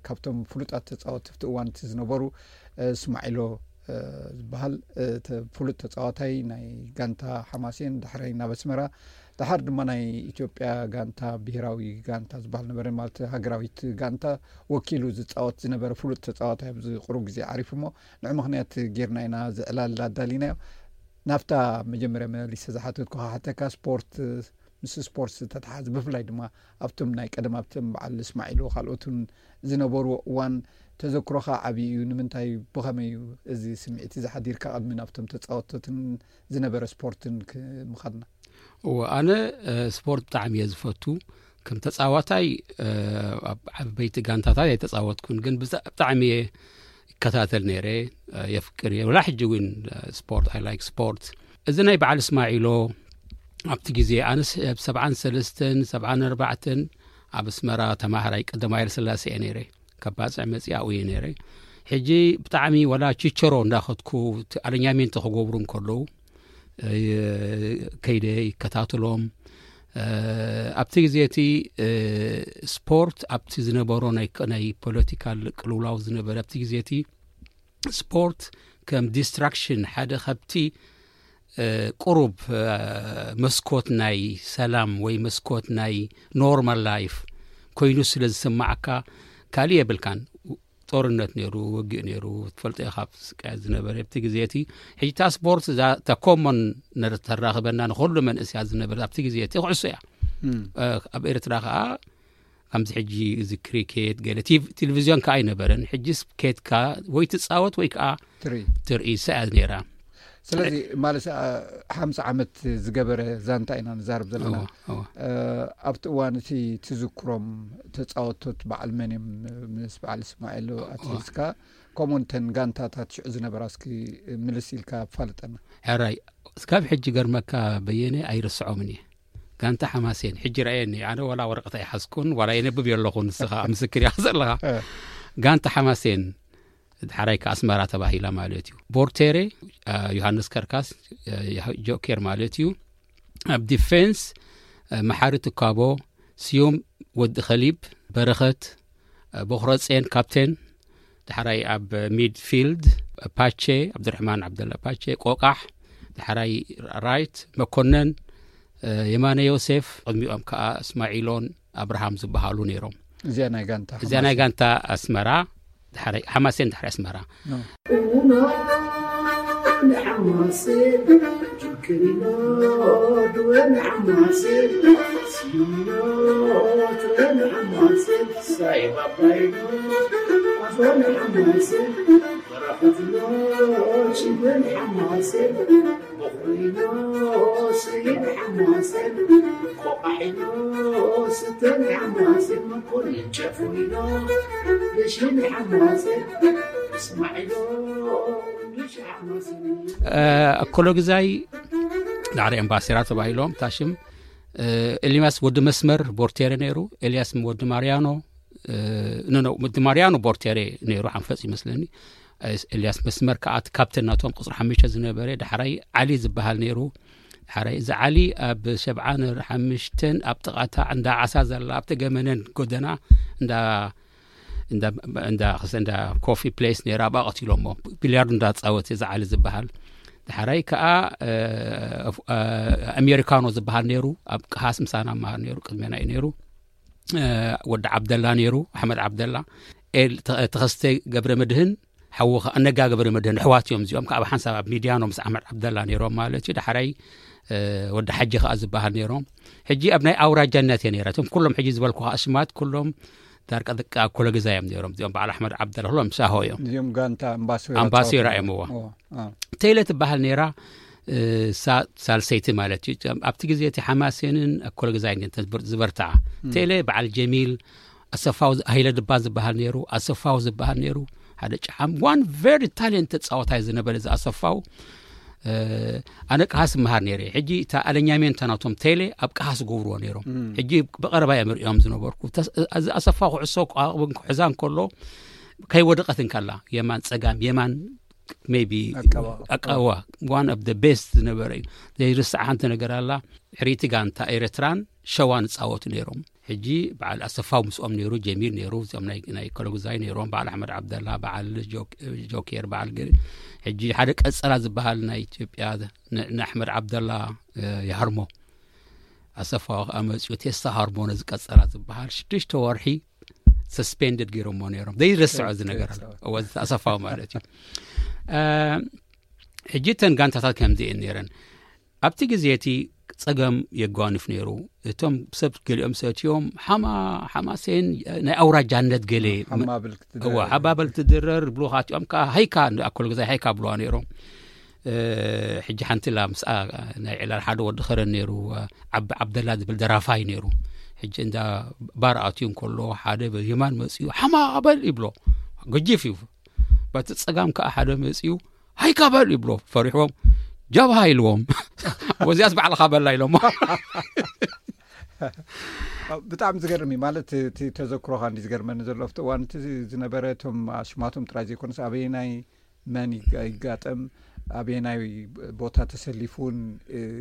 ካብቶም ፍሉጣት ተፃወትቲ ኣብቲ እዋን እቲ ዝነበሩ፣ ስማዒሎ ዝበሃል ፍሉጥ ተፃዋታይ ናይ ጋንታ ሓማሴን፣ ዳሕራይ ናብ ኣስመራ፣ ዳሓር ድማ ናይ ኢትዮጵያ ጋንታ፣ ብሄራዊ ጋንታ ዝበሃል ነበረ፣ ማለት ሃገራዊት ጋንታ ወኪሉ ዝፃወት ዝነበረ ፍሉጥ ተፃዋታይ ኣብዚ ቅሩብ ግዜ ዓሪፉ እሞ፣ ንዕ ምኽንያት ጌርና ኢና ዝዕላል ኣዳሊናዮ። ናብታ መጀመርያ መሊሰ ዝሓተትኩ ክሓተካ፣ ስፖርት፣ ምስ ስፖርት ዝተተሓዘ፣ ብፍላይ ድማ ኣብቶም ናይ ቀደም፣ ኣብቶም በዓል እስማዒሎ ካልኦትን ዝነበርዎ እዋን ተዘክሮኻ ዓብዪ እዩ። ንምንታይ፣ ብኸመይ እዩ እዚ ስምዒት እዚ ሓዲርካ ቅድሚ ናብቶም ተፃወቶትን ዝነበረ ስፖርትን ክ-፣ ምኻድና? እወ፣ ኣነ፣ እ፣ ስፖርት ብጣዕሚ እየ ዝፈቱ። ከም ተፃዋታይ፣ እ፣ ኣብ ዓበይቲ ጋንታታት ኣይተፃወትኩን፣ ግን ብዛ-፣ ብጣዕሚ እየ ይከታተል ነይረ፣ እ፣ የፍቅር እየ። ወላ ሕጂ እውን፣ እ፣ ስፖርት፣ I like ስፖርት። እዚ ናይ በዓል እስማዒሎ፣ ኣብቲ ግዜ ኣነስ ኣብ ሰብዓን ሰለስተን፣ ሰብዓን ኣርባዕተን ኣብ ኣስመራ ተማሃራይ ቀዳማይ ሃይለስላሴ እየ ነይረ። ካብ ባጽዕ መጺኣ ኣብኡ እየ ነይረ። ሕጂ ብጣዕሚ ወላ ቺቸሮ እንዳኸድኩ፣ እቲ ኣለኛሜንቶ ክገብሩ እንከለዉ፣ እ፣ ከይደ ይከታተሎም። እ፣ ኣብቲ ግዜ እቲ፣ እ፣ ስፖርት ኣብቲ ዝነበሮ ናይ፣ ናይ ፖለቲካል ቅልውላው ዝነበረ ኣብቲ ግዜ እቲ ስፖርት ከም ዲስትራክሽን፣ ሓደ ካብቲ፣ እ፣ ቁሩብ፣ እ፣ መስኮት ናይ ሰላም ወይ መስኮት ናይ ኖርማል ላይፍ ኮይኑ ስለ ዝስማዓካ፣ ካልእ የብልካን። ጦርነት ነይሩ፣ ውግእ ነይሩ፣ ትፈልጦ ኢኻ፣ ኣብ ስቃያት ዝነበረ ኣብቲ ግዜ እቲ። ሕጂ እታ ስፖርት እዛ፣ እታ ኮሞን ነር-፣ ተራኽበና ንኹሉ መንእስያት ዝነበረ ኣብቲ ግዜ እቲ ኩዕሶ እያ። እም። እ፣ ኣብ ኤርትራ ከኣ ከምዚ ሕጂ እዚ ክሪኬት ገለ ቲቭ-፣ ቴሌቪዝዮን ከኣ ኣይነበረን። ሕጂስ ኬድካ ወይ ትጻወት ወይ ከኣ ትርኢ። ትርኢ፣ እሳ እያ ነይራ። ስለዚ ማለት፣ አ፣ ሓምሳ ዓመት ዝገበረ ዛንታ ኢና ንዛረብ ዘለና። እወ፣ እወ። እ፣ ኣብቲ እዋን እቲ ትዝክሮም ተጻወቶት በዓል መን እዮም? ምስ በዓል እስማኤል እወ። ኣትሒዝካ፣ ከምኡ እተን ጋንታታት ሽዑ ዝነበራ እስኪ ምልስ ኢልካ ኣፋልጠና። ሕራይ፣ እስካብ ሕጂ ገርመካ በየነ ኣይርስዖምን እየ። ጋንታ ሓማሴን፣ ሕጂ ረኣየኒ፣ ኣነ ዋላ ወረቐት ኣይሓዝኩን፣ ዋላ የነብብ የለኹን፣ ንስኻ ምስክር ኢኻ ዘለኻ። እ። ጋንታ ሓማሴን፣ ዳሕራይ ከኣ ኣስመራ ተባሂላ ማለት እዩ። ቦርቴሬ፣ አ፣ ዮሃንስ ከርካስ፣ አ፣ ዮሃ-፣ ጆኬር ማለት እዩ። ኣብ ዲፌንስ፣ አ፣ መሓሪ ትካቦ፣ ስዩም ወዲ ኸሊብ፣ በረኸት፣ አ፣ ቦኽረጼን ካፕቴን፣ ዳሕራይ ኣብ ሚድፊልድ፣ ፓቼ፣ ዓብዱራሕማን ዓብደላ ፓቼ፣ ቆቃሕ፣ ዳሕራይ ራይት፣ መኮነን፣ አ፣ የማነ ዮሴፍ፣ ቅድሚኦም ከኣ እስማዒሎን ኣብርሃም ዝበሃሉ ነይሮም። እዚኣ ናይ ጋንታ እዚኣ ናይ ሓማሴን። ጋንታ ኣስመራ፣ ዳሕራይ ሓማሴን፣ ዳሕራይ ኣስመራ። ኖ። ስይን ሓማሴን ቆቃሒኖ ስተን ሓማሴን መኮንን ጨፉሪኖ ብሽን ሓማሴን እስማዒሎ ብሽ ሓማሴን ኣኮሎ ግዛይ ዳዕሪ ኤምባሲራ ተባሂሎም ታሽም ኤልያስ ወዲ መስመር ቦርቴሬ ነይሩ። ኤልያስ ወዲ ማርያኖ ኖ ወዲ ማርያኖ ቦርቴሬ ነይሩ ሓንፈፅ ይመስለኒ። ኤልያስ መስመር ከዓ እቲ ካፕተን ናቶም ቁፅሪ ሓሙሽተ ዝነበረ ዳሕራይ ዓሊ ዝበሃል ነይሩ። ዳሕራይ እዚ ዓሊ ኣብ ሸብዓን ሓሙሽተን ኣብ ጥቓታ እንዳ ዓሳ ዘላ ኣብቲ ገመነን ጎደና እንዳ እንዳ እንዳ ክሰ እንዳ ኮፊ ፕሌስ ነይራ ኣብኣ ቀቲሎሞ። ቢልያርዶ እንዳጻወተ እዚ ዓሊ ዝበሃል። ዳሕራይ ከዓ ኣሜሪካኖ ዝበሃል ነይሩ። ኣብ ቀሃስ ምሳና መሃር ነይሩ። ቅድሜና እዩ ነይሩ። ወዲ ዓብደላ ነይሩ፣ ኣሕመድ ዓብደላ። ተኸስተ ገብረ መድህን ሓዉ ነጋ ገብረ መድህን ኣሕዋት እዮም እዚኦም። ካብ ሓንሳብ ኣብ ሚድያኖ ምስ ኣሕመድ ዓብደላ ነይሮም ማለት እዩ። ዳሕራይ ወዲ ሓጂ ከዓ ዝበሃል ነይሮም። ሕጂ ኣብ ናይ ኣውራጃነት እየ ነይረ። እቶም ኩሎም ሕጂ ዝበልኩ ከዓ ሽማት ኩሎም ዳርቃ ደቂ ኣኮለ ገዛ እዮም ነይሮም። እዚኦም በዓል ኣሕመድ ዓብደላ ኩሎም ሳሆ እዮም። እዚኦም ጋንታ ኣምባሶራ ኣምባሶራ እዮም። እዎ። ቴለ ትበሃል ነይራ። ሳልሰይቲ ማለት እዩ። ኣብቲ ግዜ እቲ ሓማሴንን ኣኮለ ገዛይ ዝበርትዓ። ቴለ በዓል ጀሚል ኣሰፋው፣ ሃይለ ድባ ዝበሃል ነይሩ፣ ኣሰፋው ዝበሃል ነይሩ። ሓደ ጫሓም ዋን ቨሪ ታሌንት ተፃወታይ ዝነበረ እዚ ኣሰፋው። ኣነ ቀሃስ መሃር ነይረ። ሕጂ እታ ኣለኛሜንታ ናቶም ቴሌ ኣብ ቀሃስ ገብርዎ ነይሮም። ሕጂ ብቐረባ እዮም ርእዮም ዝነበርኩ። እዚ ኣሰፋው ክዕሶ ክሕዛ እንከሎ ከይወደቐት እንከላ የማን ፀጋም የማን maybe ኣቀዋ ዋን ኦፍ ቤስት ዝነበረ እዩ። ዘይርስዓ ሓንቲ ነገር ኣላ። ሕሪቲ ጋንታ ኤርትራን ሸዋን ይፃወቱ ነይሮም። ሕጂ በዓል ኣሰፋው ምስኦም ነይሩ፣ ጀሚል ነይሩ፣ እዚኦም ናይ ኮለጉዛይ ነይሮም፣ በዓል ኣሕመድ ዓብደላ፣ በዓል ጆኬር፣ በዓል ገ ሕጂ ሓደ ቀፀላ ዝበሃል ናይ ኢትዮጵያ ንኣሕመድ ዓብደላ ይሃርሞ። ኣሰፋው ከዓ መፅኡ ቴስታ ሃርሞ ነዚ ቀፀላ ዝበሃል ሽዱሽተ ወርሒ ሰስፔንድድ ገይሮሞ ነይሮም። ዘይረስዖ እዚ ነገር ኣሎ። ኣሰፋው ማለት እዩ። ሕጂ እተን ጋንታታት ከምዚ እየን ነይረን። ኣብቲ ግዜ እቲ ፀገም የጓንፍ ነይሩ። እቶም ሰብ ገሊኦም ሰትዮም ሓማ ሓማሴን ናይ ኣውራጃነት ገሌ ሓባበል ትድረር ብሉኻት እዮም። ከዓ ሃይካ ኣኮል ግዛይ ሃይካ ብለዋ ነይሮም። ሕጂ ሓንቲ ላ ምስኣ ናይ ዕላል ሓደ ወዲ ኸረን ነይሩ፣ ዓቢ ዓብደላ ዝብል ደራፋይ ነይሩ። ሕጂ እንዳ ባር ኣትዩ እንከሎ ሓደ የማን መፅኡ ሓማ በል ይብሎ። ገጂፍ እዩ። በቲ ፀጋም ከዓ ሓደ መፅኡ ሃይካ በል ይብሎ። ፈሪሕዎም ጃብሃ ኢልዎም። ወዚያስ ባዕልኻ በላ ኢሎሞ። ብጣዕሚ ዝገርም እዩ። ማለት እቲ ተዘክሮኻ እንዲ ዝገርመኒ ዘሎ ኣብቲ እዋን እቲ ዝነበረ እቶም ኣሽማቶም ጥራይ ዘይኮነስ ኣበየናይ መን ይጋጠም ኣበየናይ ቦታ ተሰሊፉን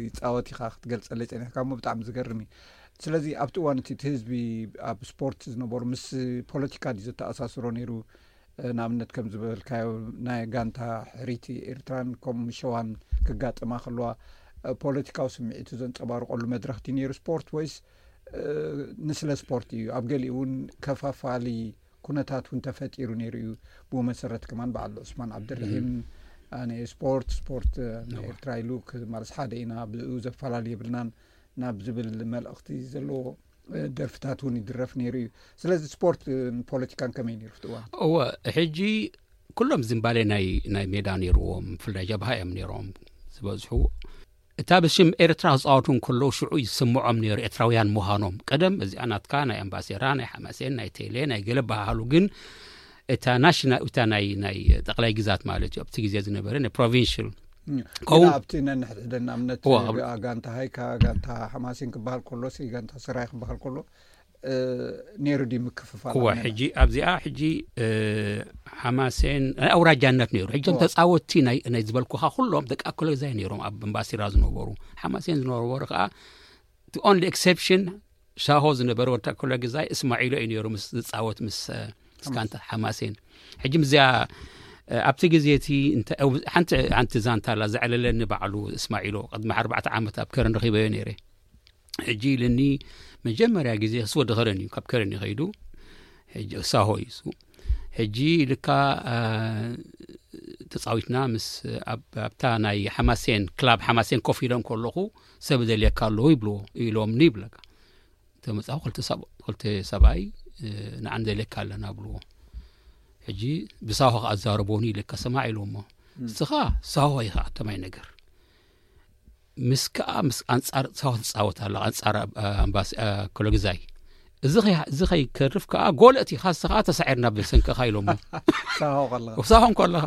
ይፃወት ኢኻ ክትገልፀለይ ፀኒሕካ እሞ ብጣዕሚ ዝገርም እዩ። ስለዚ ኣብቲ እዋን እቲ ህዝቢ ኣብ ስፖርት ዝነበሩ ምስ ፖለቲካ ድዩ ዘተኣሳስሮ ነይሩ? ንኣብነት ከም ዝበልካዮ ናይ ጋንታ ሕሪቲ ኤርትራን ከምኡ ሸዋን ክጋጠማ ከለዋ ፖለቲካዊ ስምዒቱ ዘንፀባርቀሉ መድረኽቲ ነይሩ ስፖርት ወይስ ንስለ ስፖርት እዩ? ኣብ ገሊኡ እውን ከፋፋሊ ኩነታት እውን ተፈጢሩ ነይሩ እዩ። ብኡ መሰረት ከማን በዓል ዑስማን ዓብደርሒም ኣነ ስፖርት ስፖርት ንኤርትራ ኢሉ ማለት ሓደ ኢና ብኡ ዘፈላለ የብልናን ናብ ዝብል መልእኽቲ ዘለዎ ደርፍታት እውን ይድረፍ ነይሩ እዩ። ስለዚ ስፖርት ፖለቲካን ከመይ ነይሩ ፍትዋ? እወ፣ ሕጂ ኩሎም ዝምባሌ ናይ ናይ ሜዳ ነይርዎም፣ ብፍላይ ጀብሃ እዮም ነይሮም ዝበዝሑ። እታ ብሽም ኤርትራ ክፃወቱ እንከለዉ ሽዑ ይስምዖም ነይሩ ኤርትራውያን ምዃኖም። ቀደም እዚኣ ናትካ ናይ ኣምባሴራ ናይ ሓማሴን ናይ ቴሌ ናይ ገለ በሃሃሉ፣ ግን እታ ናሽናል እታ ናይ ናይ ጠቕላይ ግዛት ማለት እዩ ኣብቲ ግዜ ዝነበረ ናይ ፕሮቪንሽል ከውን ኣብቲ ነንሕድሕደን ንኣብነት ጋንታ ሃይካ ጋንታ ሓማሴን ክበሃል ከሎ ሲ ጋንታ ስራይ ክበሃል ከሎ ነይሩ ዲ ምክፍፋል? እወ፣ ሕጂ ኣብዚኣ ሕጂ ሓማሴን ናይ ኣውራጃነት ነይሩ። ሕጂ ተፃወትቲ ናይ ዝበልኩኻ ኩሎም ደቂ ኣኮለ ግዛይ ነይሮም ኣብ እምባሲራ ዝነበሩ። ሓማሴን ዝነበሩ ከዓ ኦንሊ ኤክሴፕሽን ሻሆ ዝነበረ ወዲ ኣኮለ ግዛይ እስማዒሎ እዩ ነይሩ ምስ ዝፃወት ምስ ስካንታ ሓማሴን። ሕጂ ምዚኣ ኣብቲ ግዜ እቲ ሓንቲ ሓንቲ ዛንታ ኣላ ዘዕለለኒ ባዕሉ እስማዒሎ ቅድሚ ኣርባዕተ ዓመት ኣብ ከረን ረኺበዮ ነይረ። ሕጂ ኢልኒ መጀመርያ ግዜ ክስ ወዲ ከረን እዩ፣ ካብ ከረን እዩ ከይዱ። ሕጂ ሳሆ እዩ እሱ። ሕጂ ኢልካ ተፃዊትና ምስ ኣብታ ናይ ሓማሴን ክላብ ሓማሴን ኮፍ ኢሎም ከለኹ ሰብ ደልየካ ኣለዉ ይብልዎ ኢሎምኒ ይብለካ። ተመፃኹ ክልተ ሰብኣይ ንዓን ደልየካ ኣለና ብልዎ። ሕጂ ብሳሆ ከዓ ኣዛረቦኒ ኢልካ ሰማዕ ኢልዎ እሞ እስኻ ሳሆ ኢኻ ኣተማይ ነገር ምስ ከኣ ምስ ኣንጻር ሳሆ ትጻወት ኣላ ኣንጻር ኣምባሲ ክሎግዛይ። እዚ ከይ- እዚ ከይከርፍ ከኣ ጎል እቲ ካስተ ከኣ ተሳዒርና ብሰንክኻ ኢሎሞ። ሳሆ ከለኻ ሳሆ እንከለኻ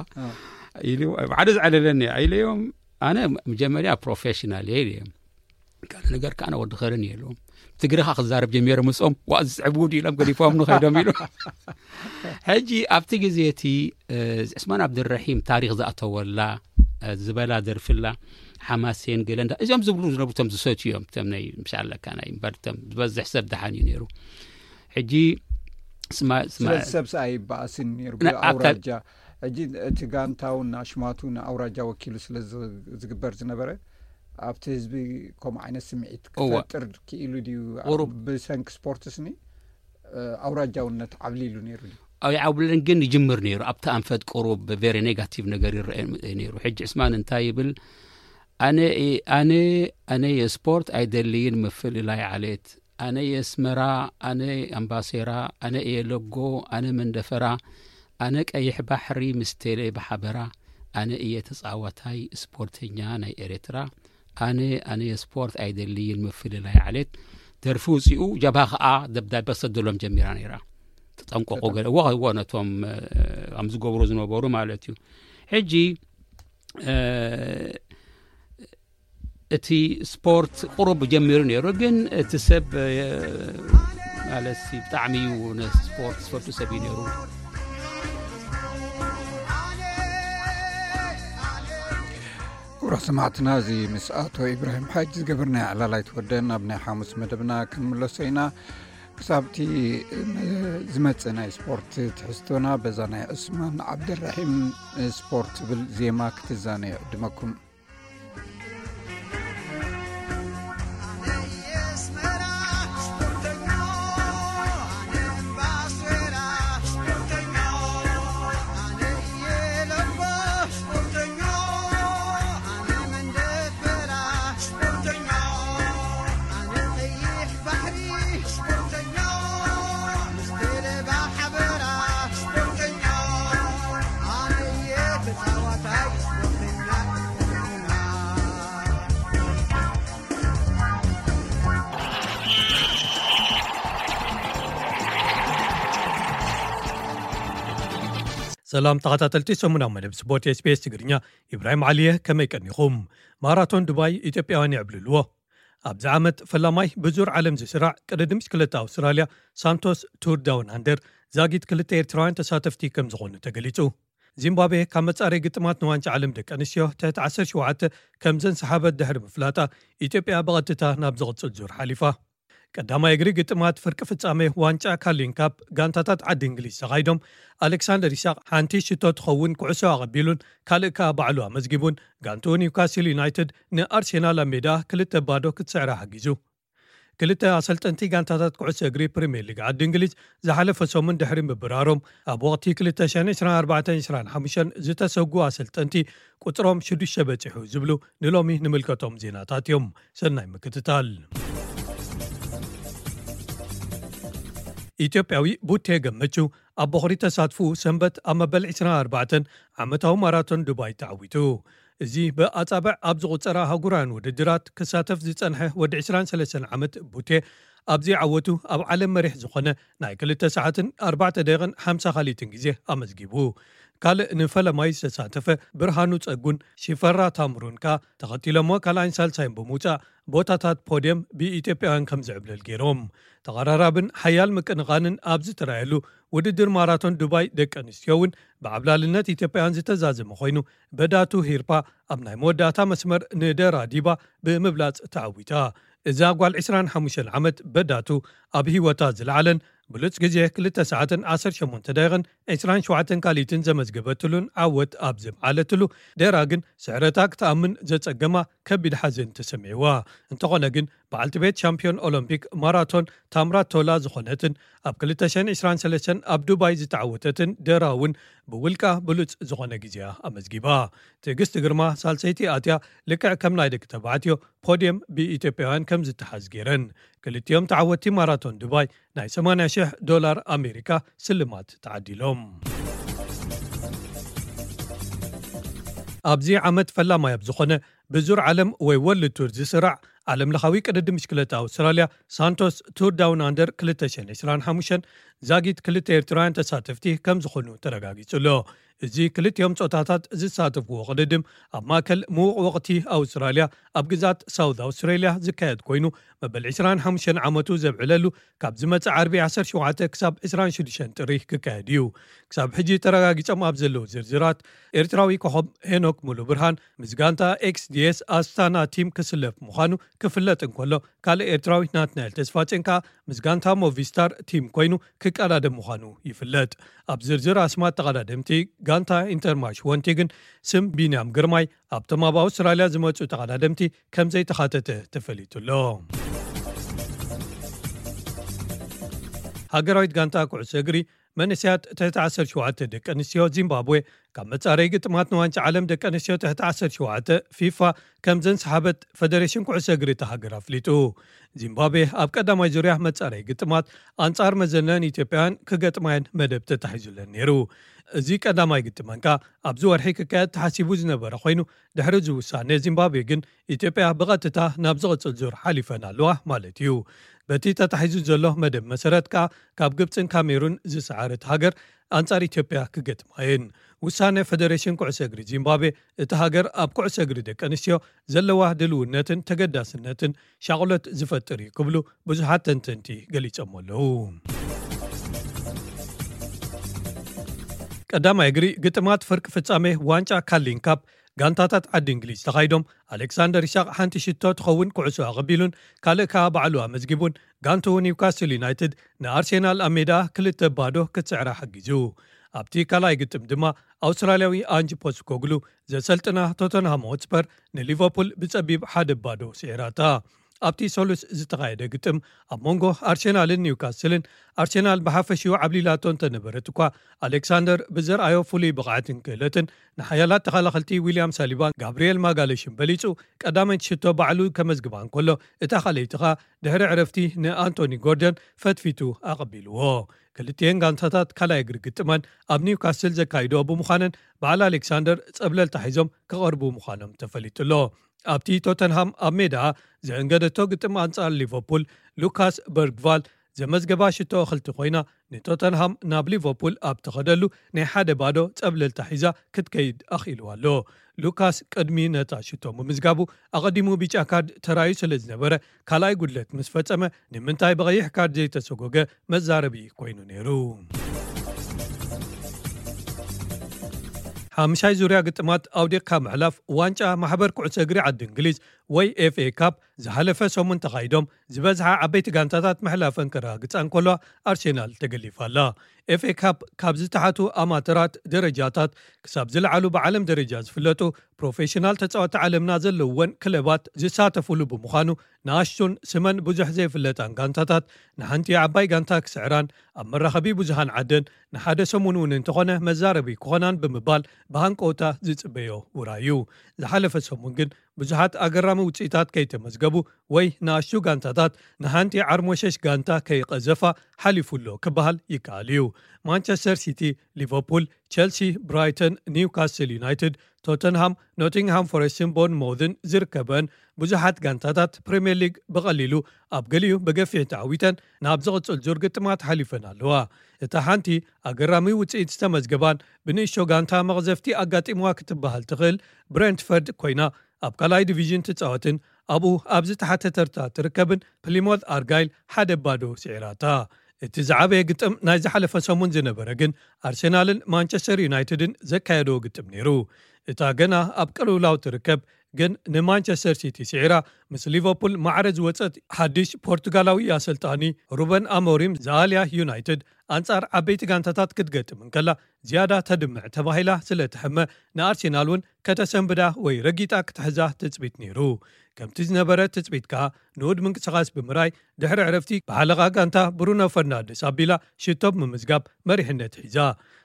ኢሉ ሓደ ዝዓለለኒ ኢለዮም። ኣነ መጀመርያ ፕሮፌሽናል እየ ኢለዮም። ካልእ ነገር ከኣ ወዲ ኸርን እየ ኢለዎም። ትግርኻ ክዛረብ ጀሚረ ምጾም ዋ ዝስዕብ ውድ ኢሎም ገዲፎም ንኸይዶም ኢሉ። ሕጂ ኣብቲ ግዜ እቲ ዕስማን ኣብድረሒም ታሪክ ዝኣተወላ ዝበላ ደርፍላ ሓማሴን ገለ እንዳ እዚኦም ዝብሉ ዝነብሩ ቶም ዝሰትዩ እዮም። ቶም ናይ ምሻለካ ናይ እምበር ቶም ዝበዝሕ ሰብ ደሓን እዩ ነይሩ። ሕጂ ስማ ስማ ስለዚ ሰብ ሰኣ ይበኣስን ነይሩ ንኣካል- ብኣውራጃ። ሕጂ እቲ ጋንታውን ኣሽማቱ ንኣውራጃ ወኪሉ ስለ ዝ- ዝግበር ዝነበረ ኣብቲ ህዝቢ ከምኡ ዓይነት ስምዒት እወ። ክፈጥር ክኢሉ ድዩ? ቁሩብ። ብሰንኪ ስፖርትስኒ ኣውራጃውነት ዓብሊሉ ነይሩ ድዩ? ኣይዓብልን ግን ይጅምር ነይሩ። ኣብቲ ኣንፈት ቁሩብ ቬሪ ኔጋቲቭ ነገር ይረአ ነይሩ። ሕጂ ዕስማን እንታይ ይብል? ኣነ ኣነ ኣነ የስፖርት ኣይደልይን ምፍልላይ ዓሌት። ኣነ የስመራ፣ ኣነ ኣምባሴራ፣ ኣነ እየ ለጎ፣ ኣነ መንደፈራ፣ ኣነ ቀይሕ ባሕሪ ምስ ቴሌ ብሓበራ፣ ኣነ እየ ተጻዋታይ ስፖርተኛ ናይ ኤርትራ፣ ኣነ ኣነ የስፖርት ኣይደልይን ምፍልላይ ዓሌት። ደርፊ ውጺኡ ጀብሃ ከኣ ደብዳቤ ክሰደሎም ጀሚራ ነይራ። ተጠንቀቁ ገለ እዎ እዎ ነቶም ከም ዝገብሩ ዝነበሩ ማለት እዩ። ሕጂ እቲ ስፖርት ቁሩብ ጀሚሩ ነይሩ፣ ግን እቲ ሰብ ማለት ብጣዕሚ እዩ ነቲ ስፖርት ዝፈቱ ሰብ እዩ ነይሩ። ክቡራት ሰማዕትና፣ እዚ ምስ ኣቶ ኢብራሂም ሓጅ ዝገበርናዮ ዕላል ኣይተወደን። ኣብ ናይ ሓሙስ መደብና ክንምለሶ ኢና። ክሳብቲ ዝመጽእ ናይ ስፖርት ትሕዝቶና፣ በዛ ናይ ዑስማን ዓብደራሒም ስፖርት ትብል ዜማ ክትዛነዩ ዕድመኩም። ሰላም ተኸታተልቲ ሰሙናዊ መደብ ስፖርት ኤስቢኤስ ትግርኛ፣ ኢብራሂም ዓሊየ፣ ከመይ ቀኒኹም? ማራቶን ዱባይ ኢትዮጵያውያን የዕብልልዎ። ኣብዚ ዓመት ፈላማይ ብዙር ዓለም ዝስራዕ ቅድድም ብሽክለታ ኣውስትራልያ ሳንቶስ ቱር ዳውን ኣንደር ዛጊት ክልተ ኤርትራውያን ተሳተፍቲ ከም ዝኾኑ ተገሊጹ። ዚምባብዌ ካብ መጻረይ ግጥማት ንዋንጫ ዓለም ደቂ ኣንስትዮ ትሕቲ ዓሰርተ ሸውዓተ ከም ዘንሰሓበት ድሕሪ ምፍላጣ፣ ኢትዮጵያ ብቐጥታ ናብ ዝቕጽል ዙር ሓሊፋ። ቀዳማይ እግሪ ግጥማት ፍርቂ ፍጻሜ ዋንጫ ካርሊን ካፕ ጋንታታት ዓዲ እንግሊዝ ተኻይዶም፣ ኣሌክሳንደር ይስሐቅ ሓንቲ ሽቶ ትኸውን ኩዕሶ ኣቐቢሉን ካልእ ከኣ ባዕሉ ኣመዝጊቡን፣ ጋንትኡ ኒውካስል ዩናይትድ ንኣርሴናል ኣብ ሜዳ ክልተ ባዶ ክትስዕራ ሓጊዙ። ክልተ ኣሰልጠንቲ ጋንታታት ኩዕሶ እግሪ ፕሪምየር ሊግ ዓዲ እንግሊዝ ዝሓለፈ ሰሙን ድሕሪ ምብራሮም፣ ኣብ ወቕቲ ክልተ ሽሕን ዕስራን ኣርባዕተን ዕስራን ሓሙሽተን ዝተሰጉ ኣሰልጠንቲ ቁጽሮም ሽዱሽተ በጺሑ ዝብሉ ንሎሚ ንምልከቶም ዜናታት እዮም። ሰናይ ምክትታል። ኢትዮጵያዊ ቡቴ ገመቹ ኣብ በኹሪ ተሳትፉ ሰንበት ኣብ መበል ዕስራን ኣርባዕተን ዓመታዊ ማራቶን ዱባይ ተዓዊቱ። እዚ ብኣጻብዕ ኣብ ዝቑጸራ ኣህጉራውያን ውድድራት ክሳተፍ ዝጸንሐ ወዲ ዕስራን ሰለስተን ዓመት ቡቴ፣ ኣብዚ ዓወቱ ኣብ ዓለም መሪሕ ዝኾነ ናይ ክልተ ሰዓትን ኣርባዕተ ደቂቕን ሓምሳ ካልኢትን ግዜ ኣመዝጊቡ። ካልእ ንፈለማይ ዝተሳተፈ ብርሃኑ ጸጉን ሽፈራ ታምሩን ከኣ ተኸቲሎሞ ካልኣይን ሳልሳይን ብምውጻእ ቦታታት ፖድየም ብኢትዮጵያውያን ከም ዝዕብለል ገይሮም። ተቐራራብን ሓያል ምቅንቓንን ኣብ ዝተራየሉ ውድድር ማራቶን ዱባይ ደቂ ኣንስትዮ እውን ብዓብላልነት ኢትዮጵያውያን ዝተዛዘመ ኮይኑ፣ በዳቱ ሂርፓ ኣብ ናይ መወዳእታ መስመር ንደራ ዲባ ብምብላጽ ተዓዊታ። እዛ ጓል ዕስራን ሓሙሽተን ዓመት በዳቱ ኣብ ህይወታ ዝለዓለን ብሉጽ ግዜ ክልተ ሰዓትን ዓሰርተ ሸሞንተ ደቂቕን ዕስራን ሸውዓተን ካልኢትን ዘመዝገበትሉን ዓወት ኣብ ዘምዓለትሉ፣ ደራ ግን ስዕረታ ክትኣምን ዘጸገማ ከቢድ ሓዘን ተሰሚዕዋ። እንተኾነ ግን በዓልቲ ቤት ሻምፒዮን ኦሎምፒክ ማራቶን ታምራት ቶላ ዝኾነትን ኣብ ክልተ ሽሕን ዕስራን ሰለስተን ኣብ ዱባይ ዝተዓወተትን ደራ እውን ብውልቃ ብሉጽ ዝኾነ ግዜያ ኣመዝጊባ። ትዕግስቲ ግርማ ሳልሰይቲ ኣትያ ልክዕ ከም ናይ ደቂ ተባዕትዮ ፖድየም ብኢትዮጵያውያን ከም ዝተሓዝ ገይረን። ክልቲኦም ተዓወትቲ ማራቶን ዱባይ ናይ ሰማንያ ሽሕ ዶላር ኣሜሪካ ስልማት ተዓዲሎም። ኣብዚ ዓመት ፈላማይ ኣብ ዝኾነ ብዙር ዓለም ወይ ወርልድ ቱር ዝስራዕ ዓለም ለኻዊ ቅድድም ብሽክለታ ኣውስትራልያ ሳንቶስ ቱር ዳውን ኣንደር ክልተ ሽሕን ዕስራን ሓሙሽተን ዛጊት ክልተ ኤርትራውያን ተሳተፍቲ ከም ዝኾኑ ተረጋጊጹ ኣሎ። እዚ ክልቲኦም ጾታታት ዝሳተፍዎ ቅድድም ኣብ ማእከል ምዉቕ ወቕቲ ኣውስትራልያ ኣብ ግዛት ሳውት ኣውስትራልያ ዝካየድ ኮይኑ፣ መበል ዕስራን ሓሙሽተን ዓመቱ ዘብዕለሉ ካብ ዝመጽእ ዓርቢ ዓሰርተ ሸውዓተ ክሳብ ዕስራን ሽዱሽተን ጥሪ ክካየድ እዩ። ክሳብ ሕጂ ተረጋጊጾም ኣብ ዘለዉ ዝርዝራት፣ ኤርትራዊ ኮኸብ ሄኖክ ሙሉ ብርሃን ምስ ጋንታ ኤክስዲኤስ ኣስታና ቲም ክስለፍ ምዃኑ ክፍለጥ እንከሎ፣ ካልእ ኤርትራዊ ናትናኤል ተስፋጽዮን ከኣ ምስ ጋንታ ሞቪስታር ቲም ኮይኑ ክቀዳደም ምዃኑ ይፍለጥ። ኣብ ዝርዝር ኣስማት ተቐዳደምቲ ጋንታ ኢንተርማሽ ወንቲ ግን ስም ቢንያም ግርማይ ኣብቶም ኣብ ኣውስትራልያ ዝመጹ ተቐዳደምቲ ከም ዘይተኻተተ ተፈሊጡ ኣሎ። ሃገራዊት ጋንታ ኩዕሶ እግሪ መንእሰያት ትሕቲ ዓሰርተ ሸውዓተ ደቂ ኣንስትዮ ዚምባብዌ ካብ መጻረዪ ግጥማት ንዋንጫ ዓለም ደቂ ኣንስትዮ ትሕቲ ዓሰርተ ሸውዓተ ፊፋ ከም ዘንሰሓበት ፈደሬሽን ኩዕሶ እግሪ እታ ሃገር ኣፍሊጡ። ዚምባብዌ ኣብ ቀዳማይ ዙርያ መጻረዪ ግጥማት ኣንጻር መዘነን ኢትዮጵያውያን ክገጥማየን መደብ ተታሒዙለን ነይሩ። እዚ ቀዳማይ ግጥመን ከኣ ኣብዚ ወርሒ ክካየድ ተሓሲቡ ዝነበረ ኮይኑ፣ ድሕሪ እዚ ውሳነ ዚምባብዌ ግን ኢትዮጵያ ብቐጥታ ናብ ዝቕጽል ዙር ሓሊፈን ኣለዋ ማለት እዩ። በቲ ተታሒዙ ዘሎ መደብ መሰረት ከኣ ካብ ግብጽን ካሜሩን ዝሰዓረት ሃገር ኣንጻር ኢትዮጵያ ክገጥማ እየን። ውሳነ ፈደሬሽን ኩዕሶ እግሪ ዚምባብዌ፣ እታ ሃገር ኣብ ኩዕሶ እግሪ ደቂ ኣንስትዮ ዘለዋ ድልውነትን ተገዳስነትን ሻቕሎት ዝፈጥር እዩ ክብሉ ብዙሓት ተንተንቲ ገሊጾም ኣለዉ። ቀዳማይ እግሪ ግጥማት ፍርቂ ፍጻሜ ዋንጫ ካርሊንግ ካፕ ጋንታታት ዓዲ እንግሊዝ ተኻይዶም፣ ኣሌክሳንደር ኢሳቕ ሓንቲ ሽቶ ትኸውን ኩዕሶ ኣቐቢሉን ካልእ ከኣ ባዕሉ ኣመዝጊቡን፣ ጋንትኡ ኒውካስል ዩናይትድ ንኣርሴናል ኣብ ሜዳ ክልተ ባዶ ክትስዕራ ሓጊዙ። ኣብቲ ካልኣይ ግጥም ድማ ኣውስትራልያዊ ኣንጅ ፖስኮግሉ ዘሰልጥና ቶተንሃም ሆትስፐር ንሊቨርፑል ብጸቢብ ሓደ ባዶ ስዒራታ። ኣብቲ ሰሉስ ዝተኻየደ ግጥም ኣብ መንጎ ኣርሴናልን ኒውካስልን፣ ኣርሴናል ብሓፈሽኡ ዓብሊላቶ እንተነበረት እኳ፣ ኣሌክሳንደር ብዘርኣዮ ፍሉይ ብቕዓትን ክእለትን ንሓያላት ተኸላኸልቲ ዊልያም ሳሊባን ጋብርኤል ማጋለሽን በሊጹ፣ ቀዳመይቲ ሽቶ ባዕሉ ከመዝግባ እንከሎ፣ እታ ካልኣይቲ ኸኣ ድሕሪ ዕረፍቲ ንኣንቶኒ ጎርደን ፈትፊቱ ኣቐቢልዎ። ክልቲኤን ጋንታታት ካልኣይ እግሪ ግጥመን ኣብ ኒውካስል ዘካይድኦ ብምዃነን፣ በዓል ኣሌክሳንደር ጸብለልታ ሒዞም ክቐርቡ ምዃኖም ተፈሊጡ ኣሎ። ኣብቲ ቶተንሃም ኣብ ሜዳ ዘእንገደቶ ግጥም ኣንጻር ሊቨርፑል፣ ሉካስ በርግቫል ዘመዝገባ ሽቶ እኽልቲ ኮይና፣ ንቶተንሃም ናብ ሊቨርፑል ኣብ ተኸደሉ ናይ ሓደ ባዶ ጸብለልታ ሒዛ ክትከይድ ኣኽኢልዋ ኣሎ። ሉካስ ቅድሚ ነታ ሽቶ ምምዝጋቡ፣ ኣቐዲሙ ቢጫ ካርድ ተራዩ ስለ ዝነበረ፣ ካልኣይ ጉድለት ምስ ፈጸመ፣ ንምንታይ ብቐይሕ ካርድ ዘይተሰጎገ መዛረቢ ኮይኑ ነይሩ። ሓምሻይ ዙርያ ግጥማት ኣውዲቕካ ምሕላፍ ዋንጫ ማሕበር ኩዕሶ እግሪ ዓዲ እንግሊዝ ወይ ኤፍኤ ካፕ ዝሓለፈ ሰሙን ተኻይዶም፣ ዝበዝሓ ዓበይቲ ጋንታታት ምሕላፈን ከረጋግጻ እንከለዋ፣ ኣርሴናል ተገሊፋ ኣላ። ኤፍኤ ካፕ ካብ ዝተሓቱ ኣማተራት ደረጃታት ክሳብ ዝለዓሉ ብዓለም ደረጃ ዝፍለጡ ፕሮፌሽናል ተጻወቲ ዓለምና ዘለውወን ክለባት ዝሳተፉሉ ብምዃኑ፣ ንኣሽቱን ስመን ብዙሕ ዘይፍለጣን ጋንታታት ንሓንቲ ዓባይ ጋንታ ክስዕራን ኣብ መራኸቢ ብዙሃን ዓደን ንሓደ ሰሙን እውን እንተኾነ መዛረቢ ክኾናን ብምባል ብሃንቀውታ ዝጽበዮ ውራይ እዩ። ዝሓለፈ ሰሙን ግን ብዙሓት ኣገራሚ ውጽኢታት ከይተመዝገቡ ወይ ንኣሽቱ ጋንታታት ንሓንቲ ዓርሞሸሽ ጋንታ ከይቐዘፋ ሓሊፉ ኣሎ ክበሃል ይከኣል እዩ። ማንቸስተር ሲቲ፣ ሊቨርፑል፣ ቸልሲ፣ ብራይተን፣ ኒውካስል ዩናይትድ፣ ቶተንሃም፣ ኖቲንግሃም ፎረስትን ቦርንሞዝን ዝርከበን ብዙሓት ጋንታታት ፕሪምየር ሊግ ብቐሊሉ ኣብ ገሊኡ ብገፊሕ ተዓዊተን ናብ ዝቕጽል ዙር ግጥማት ሓሊፈን ኣለዋ። እታ ሓንቲ ኣገራሚ ውጽኢት ዝተመዝገባን ብንእሽቶ ጋንታ መቕዘፍቲ ኣጋጢምዋ ክትበሃል ትኽእል ብሬንትፈርድ ኮይና፣ ኣብ ካልኣይ ዲቪዥን ትጻወትን ኣብኡ ኣብ ዝተሓተ ተርታ ትርከብን ፕሊሞት ኣርጋይል ሓደ ባዶ ስዒራታ። እቲ ዝዓበየ ግጥም ናይ ዝሓለፈ ሰሙን ዝነበረ ግን ኣርሴናልን ማንቸስተር ዩናይትድን ዘካየድዎ ግጥም ነይሩ። እታ ገና ኣብ ቅልውላው ትርከብ ግን ንማንቸስተር ሲቲ ስዒራ ምስ ሊቨርፑል ማዕረ ዝወጸት ሓድሽ ፖርቱጋላዊ ኣሰልጣኒ ሩበን ኣሞሪም ዝኣልያ ዩናይትድ ኣንጻር ዓበይቲ ጋንታታት ክትገጥም እንከላ ዝያዳ ተድምዕ ተባሂላ ስለ ትሕመ ንኣርሴናል እውን ከተሰንብዳ ወይ ረጊጣ ክትሕዛ ትጽቢት ነይሩ። ከምቲ ዝነበረ ትጽቢት ከኣ ንኡድ ምንቅስቓስ ብምርኣይ ድሕሪ ዕረፍቲ ብሓለቓ ጋንታ ብሩኖ ፈርናንደስ ኣቢላ ሽቶ ብምምዝጋብ መሪሕነት ሒዛ።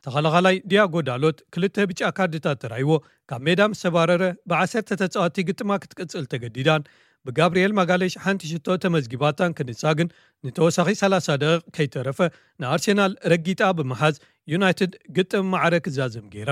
ተኸላኻላይ ዲያጎ ዳሎት ክልተ ብጫ ካርድታት ተራይዎ ካብ ሜዳ ምስ ተባረረ ብዓሰርተ ተጻወቲ ግጥማ ክትቅጽል ተገዲዳን ብጋብርኤል ማጋለሽ ሓንቲ ሽቶ ተመዝጊባታን ክንሳ ግን ንተወሳኺ ሰላሳ ደቂቕ ከይተረፈ ንኣርሴናል ረጊጣ ብምሓዝ ዩናይትድ ግጥም ማዕረ ክዛዘም ገይራ።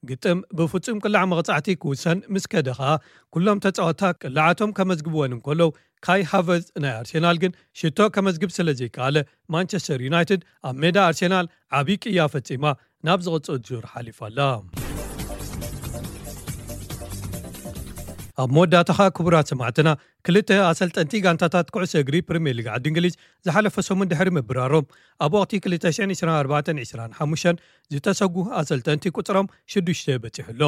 ግጥም ብፍጹም ቅላዕ መቕጻዕቲ ክውሰን ምስ ከደ ኸኣ፣ ኩሎም ተጻወትታ ቅላዓቶም ከመዝግብወን እንከለዉ፣ ካይ ሃቨርትዝ ናይ ኣርሴናል ግን ሽቶ ከመዝግብ ስለ ዘይከኣለ፣ ማንቸስተር ዩናይትድ ኣብ ሜዳ ኣርሴናል ዓቢ ቅያ ፈጺማ ናብ ዝቕጽል ዙር ሓሊፋ ኣላ። ኣብ መወዳእታኻ፣ ክቡራት ሰማዕትና፣ ክልተ ኣሰልጠንቲ ጋንታታት ኩዕሶ እግሪ ፕሪምየር ሊግ ዓዲ እንግሊዝ ዝሓለፈ ሰሙን ድሕሪ ምብራሮም፣ ኣብ ወቕቲ ክልተ ሽሕን ዕስራን ኣርባዕተን ዕስራን ሓሙሽተን ዝተሰጉ ኣሰልጠንቲ ቁጽሮም ሽዱሽተ በጺሑ ኣሎ።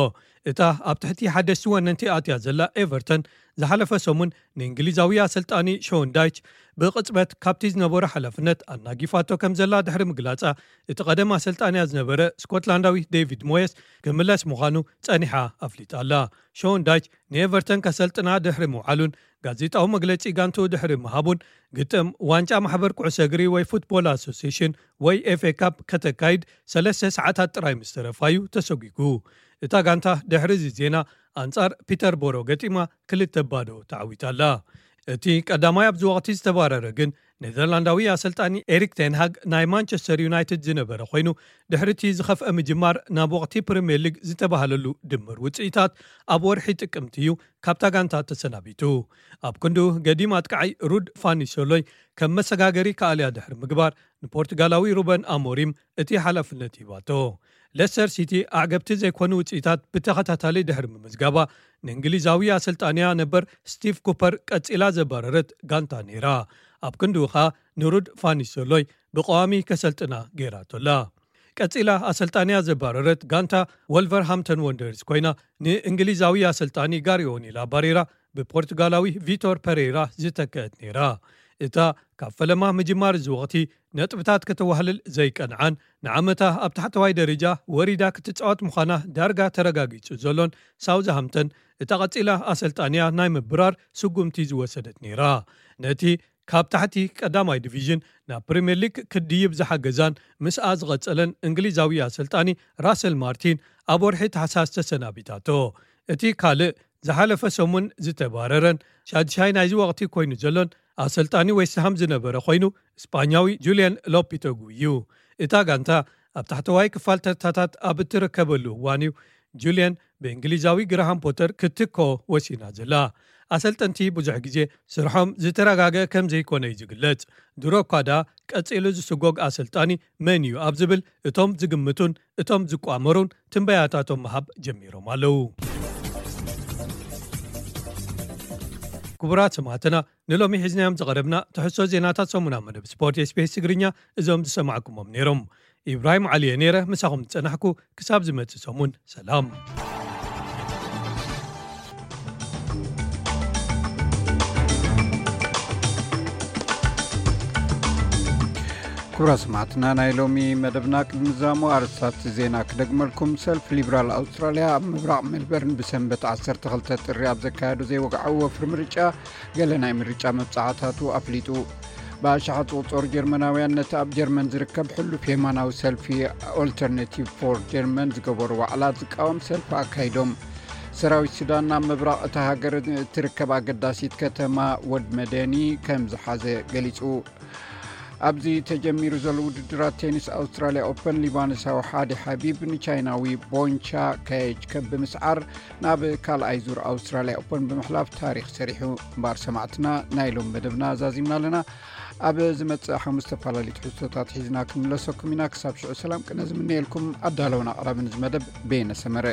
እታ ኣብ ትሕቲ ሓደስቲ ወነንቲ ኣትያ ዘላ ኤቨርተን፣ ዝሓለፈ ሰሙን ንእንግሊዛዊ ኣሰልጣኒ ሾን ዳይች ብቕጽበት ካብቲ ዝነበሮ ሓላፍነት ኣናጊፋቶ ከም ዘላ ድሕሪ ምግላጻ፣ እቲ ቀደም ኣሰልጣንያ ዝነበረ ስኮትላንዳዊ ዴቪድ ሞየስ ክምለስ ምዃኑ ጸኒሓ ኣፍሊጣ ኣላ። ሾን ዳይች ንኤቨርተን ከሰልጥና ድሕሪ ምውዓሉን ጋዜጣዊ መግለጺ ጋንትኡ ድሕሪ ምሃቡን፣ ግጥም ዋንጫ ማሕበር ኩዕሶ እግሪ ወይ ፉትቦል ኣሶሲሽን ወይ ኤፍ ኤ ካፕ ከተካይድ ሰለስተ ሰዓታት ጥራይ ምስ ተረፋዩ ተሰጒጉ። እታ ጋንታ ድሕሪ እዚ ዜና ኣንጻር ፒተርቦሮ ገጢማ ክልተ ባዶ ተዓዊታ ኣላ። እቲ ቀዳማይ ኣብዚ ወቕቲ ዝተባረረ ግን ኔዘርላንዳዊ ኣሰልጣኒ ኤሪክ ቴንሃግ ናይ ማንቸስተር ዩናይትድ ዝነበረ ኮይኑ፣ ድሕሪ እቲ ዝኸፍአ ምጅማር ናብ ወቕቲ ፕሪምየር ሊግ ዝተባህለሉ ድምር ውጽኢታት ኣብ ወርሒ ጥቅምቲ እዩ ካብታ ጋንታ ተሰናቢቱ። ኣብ ክንድኡ ገዲም ኣጥቃዓይ ሩድ ፋኒሶሎይ ከም መሰጋገሪ ከኣልያ ድሕሪ ምግባር ንፖርቱጋላዊ ሩበን ኣሞሪም እቲ ሓላፍነት ሂባቶ። ሌስተር ሲቲ ኣዕገብቲ ዘይኮኑ ውጽኢታት ብተኸታታሊ ድሕሪ ምምዝጋባ፣ ንእንግሊዛዊ ኣሰልጣንያ ነበር ስቲቭ ኩፐር ቀጺላ ዘባረረት ጋንታ ነይራ። ኣብ ክንድኡ ኸኣ ንሩድ ፋኒሶሎይ ብቐዋሚ ከሰልጥና ገይራቶ ኣላ። ቀጺላ ኣሰልጣንያ ዘባረረት ጋንታ ወልቨርሃምተን ወንደርስ ኮይና፣ ንእንግሊዛዊ ኣሰልጣኒ ጋሪ ኦኒል ኣባሪራ ብፖርቱጋላዊ ቪቶር ፐሬራ ዝተከአት ነይራ። እታ ካብ ፈለማ ምጅማር እዚ ወቕቲ ነጥብታት ከተዋህልል ዘይቀንዓን ንዓመታ ኣብ ታሕተዋይ ደረጃ ወሪዳ ክትጻወት ምዃና ዳርጋ ተረጋጊጹ ዘሎን ሳውዝሃምተን፣ እታ ቀጺላ ኣሰልጣንያ ናይ ምብራር ስጉምቲ ዝወሰደት ነይራ። ነቲ ካብ ታሕቲ ቀዳማይ ዲቪዥን ናብ ፕሪምየር ሊግ ክድይብ ዝሓገዛን ምስኣ ዝቐጸለን እንግሊዛዊ ኣሰልጣኒ ራሰል ማርቲን ኣብ ወርሒ ታሕሳስ ተሰናቢታቶ። እቲ ካልእ ዝሓለፈ ሰሙን ዝተባረረን ሻድሻይ ናይዚ ወቕቲ ኮይኑ ዘሎን ኣሰልጣኒ ዌስትሃም ዝነበረ ኮይኑ፣ ስጳኛዊ ጁልያን ሎፒተጉ እዩ። እታ ጋንታ ኣብ ታሕተዋይ ክፋል ተርታታት ኣብ እትርከበሉ እዋን እዩ ጁልያን ብእንግሊዛዊ ግራሃም ፖተር ክትትኮ ወሲና ዘላ። ኣሰልጠንቲ ብዙሕ ግዜ ስርሖም ዝተረጋገ ከም ዘይኮነ እዩ ዝግለጽ። ድሮ እኳ ደኣ ቀጺሉ ዝስጎግ ኣሰልጣኒ መን እዩ ኣብ ዝብል እቶም ዝግምቱን እቶም ዝቋመሩን ትንበያታቶም ምሃብ ጀሚሮም ኣለዉ። ክቡራት ሰማዕትና፣ ንሎሚ ሒዝናዮም ዝቐረብና ትሕዝቶ ዜናታት ሰሙናዊ መደብ ስፖርት ኤስ ቢ ኤስ ትግርኛ እዞም ዝሰማዕኩሞም ነይሮም። ኢብራሂም ዓሊ እየ ነይረ ምሳኹም ዝጸናሕኩ። ክሳብ ዝመጽእ ሰሙን ሰላም። ክቡራት ሰማዕትና፣ ናይ ሎሚ መደብና ቅድሚ ምዝዛሙ ኣርእስታት ዜና ክደግመልኩም። ሰልፊ ሊብራል ኣውስትራልያ ኣብ ምብራቕ ሜልበርን ብሰንበት ዓሰርተ ክልተ ጥሪ ኣብ ዘካየዶ ዘይወግዓዊ ወፍሪ ምርጫ፣ ገለ ናይ ምርጫ መብጻዕታቱ ኣፍሊጡ። ብኣሽሓት ዝቑጸሩ ጀርመናውያን ነቲ ኣብ ጀርመን ዝርከብ ሕሉፍ የማናዊ ሰልፊ ኦልተርናቲቭ ፎር ጀርመን ዝገበሮ ዋዕላ ዝቃወም ሰልፊ ኣካይዶም። ሰራዊት ሱዳን ናብ ምብራቕ እታ ሃገር እትርከብ ኣገዳሲት ከተማ ወድ መደኒ ከም ዝሓዘ ገሊጹ። ኣብዚ ተጀሚሩ ዘሎ ውድድራት ቴኒስ ኣውስትራልያ ኦፐን፣ ሊባኖሳዊ ሓዲ ሓቢብ ንቻይናዊ ቦንቻ ካየች ከም ብምስዓር ናብ ካልኣይ ዙር ኣውስትራልያ ኦፐን ብምሕላፍ ታሪኽ ሰሪሑ። እምበኣር ሰማዕትና፣ ናይ ሎም መደብና ዛዚምና ኣለና። ኣብ ዝመጽእ ሓሙስ ዝተፈላለዩ ትሕዝቶታት ሒዝና ክንምለሰኩም ኢና። ክሳብ ሽዑ ሰላም ቅነ ዝምነየልኩም። ኣዳለውን ኣቕራብን እዚ መደብ ቤነ ሰመረ።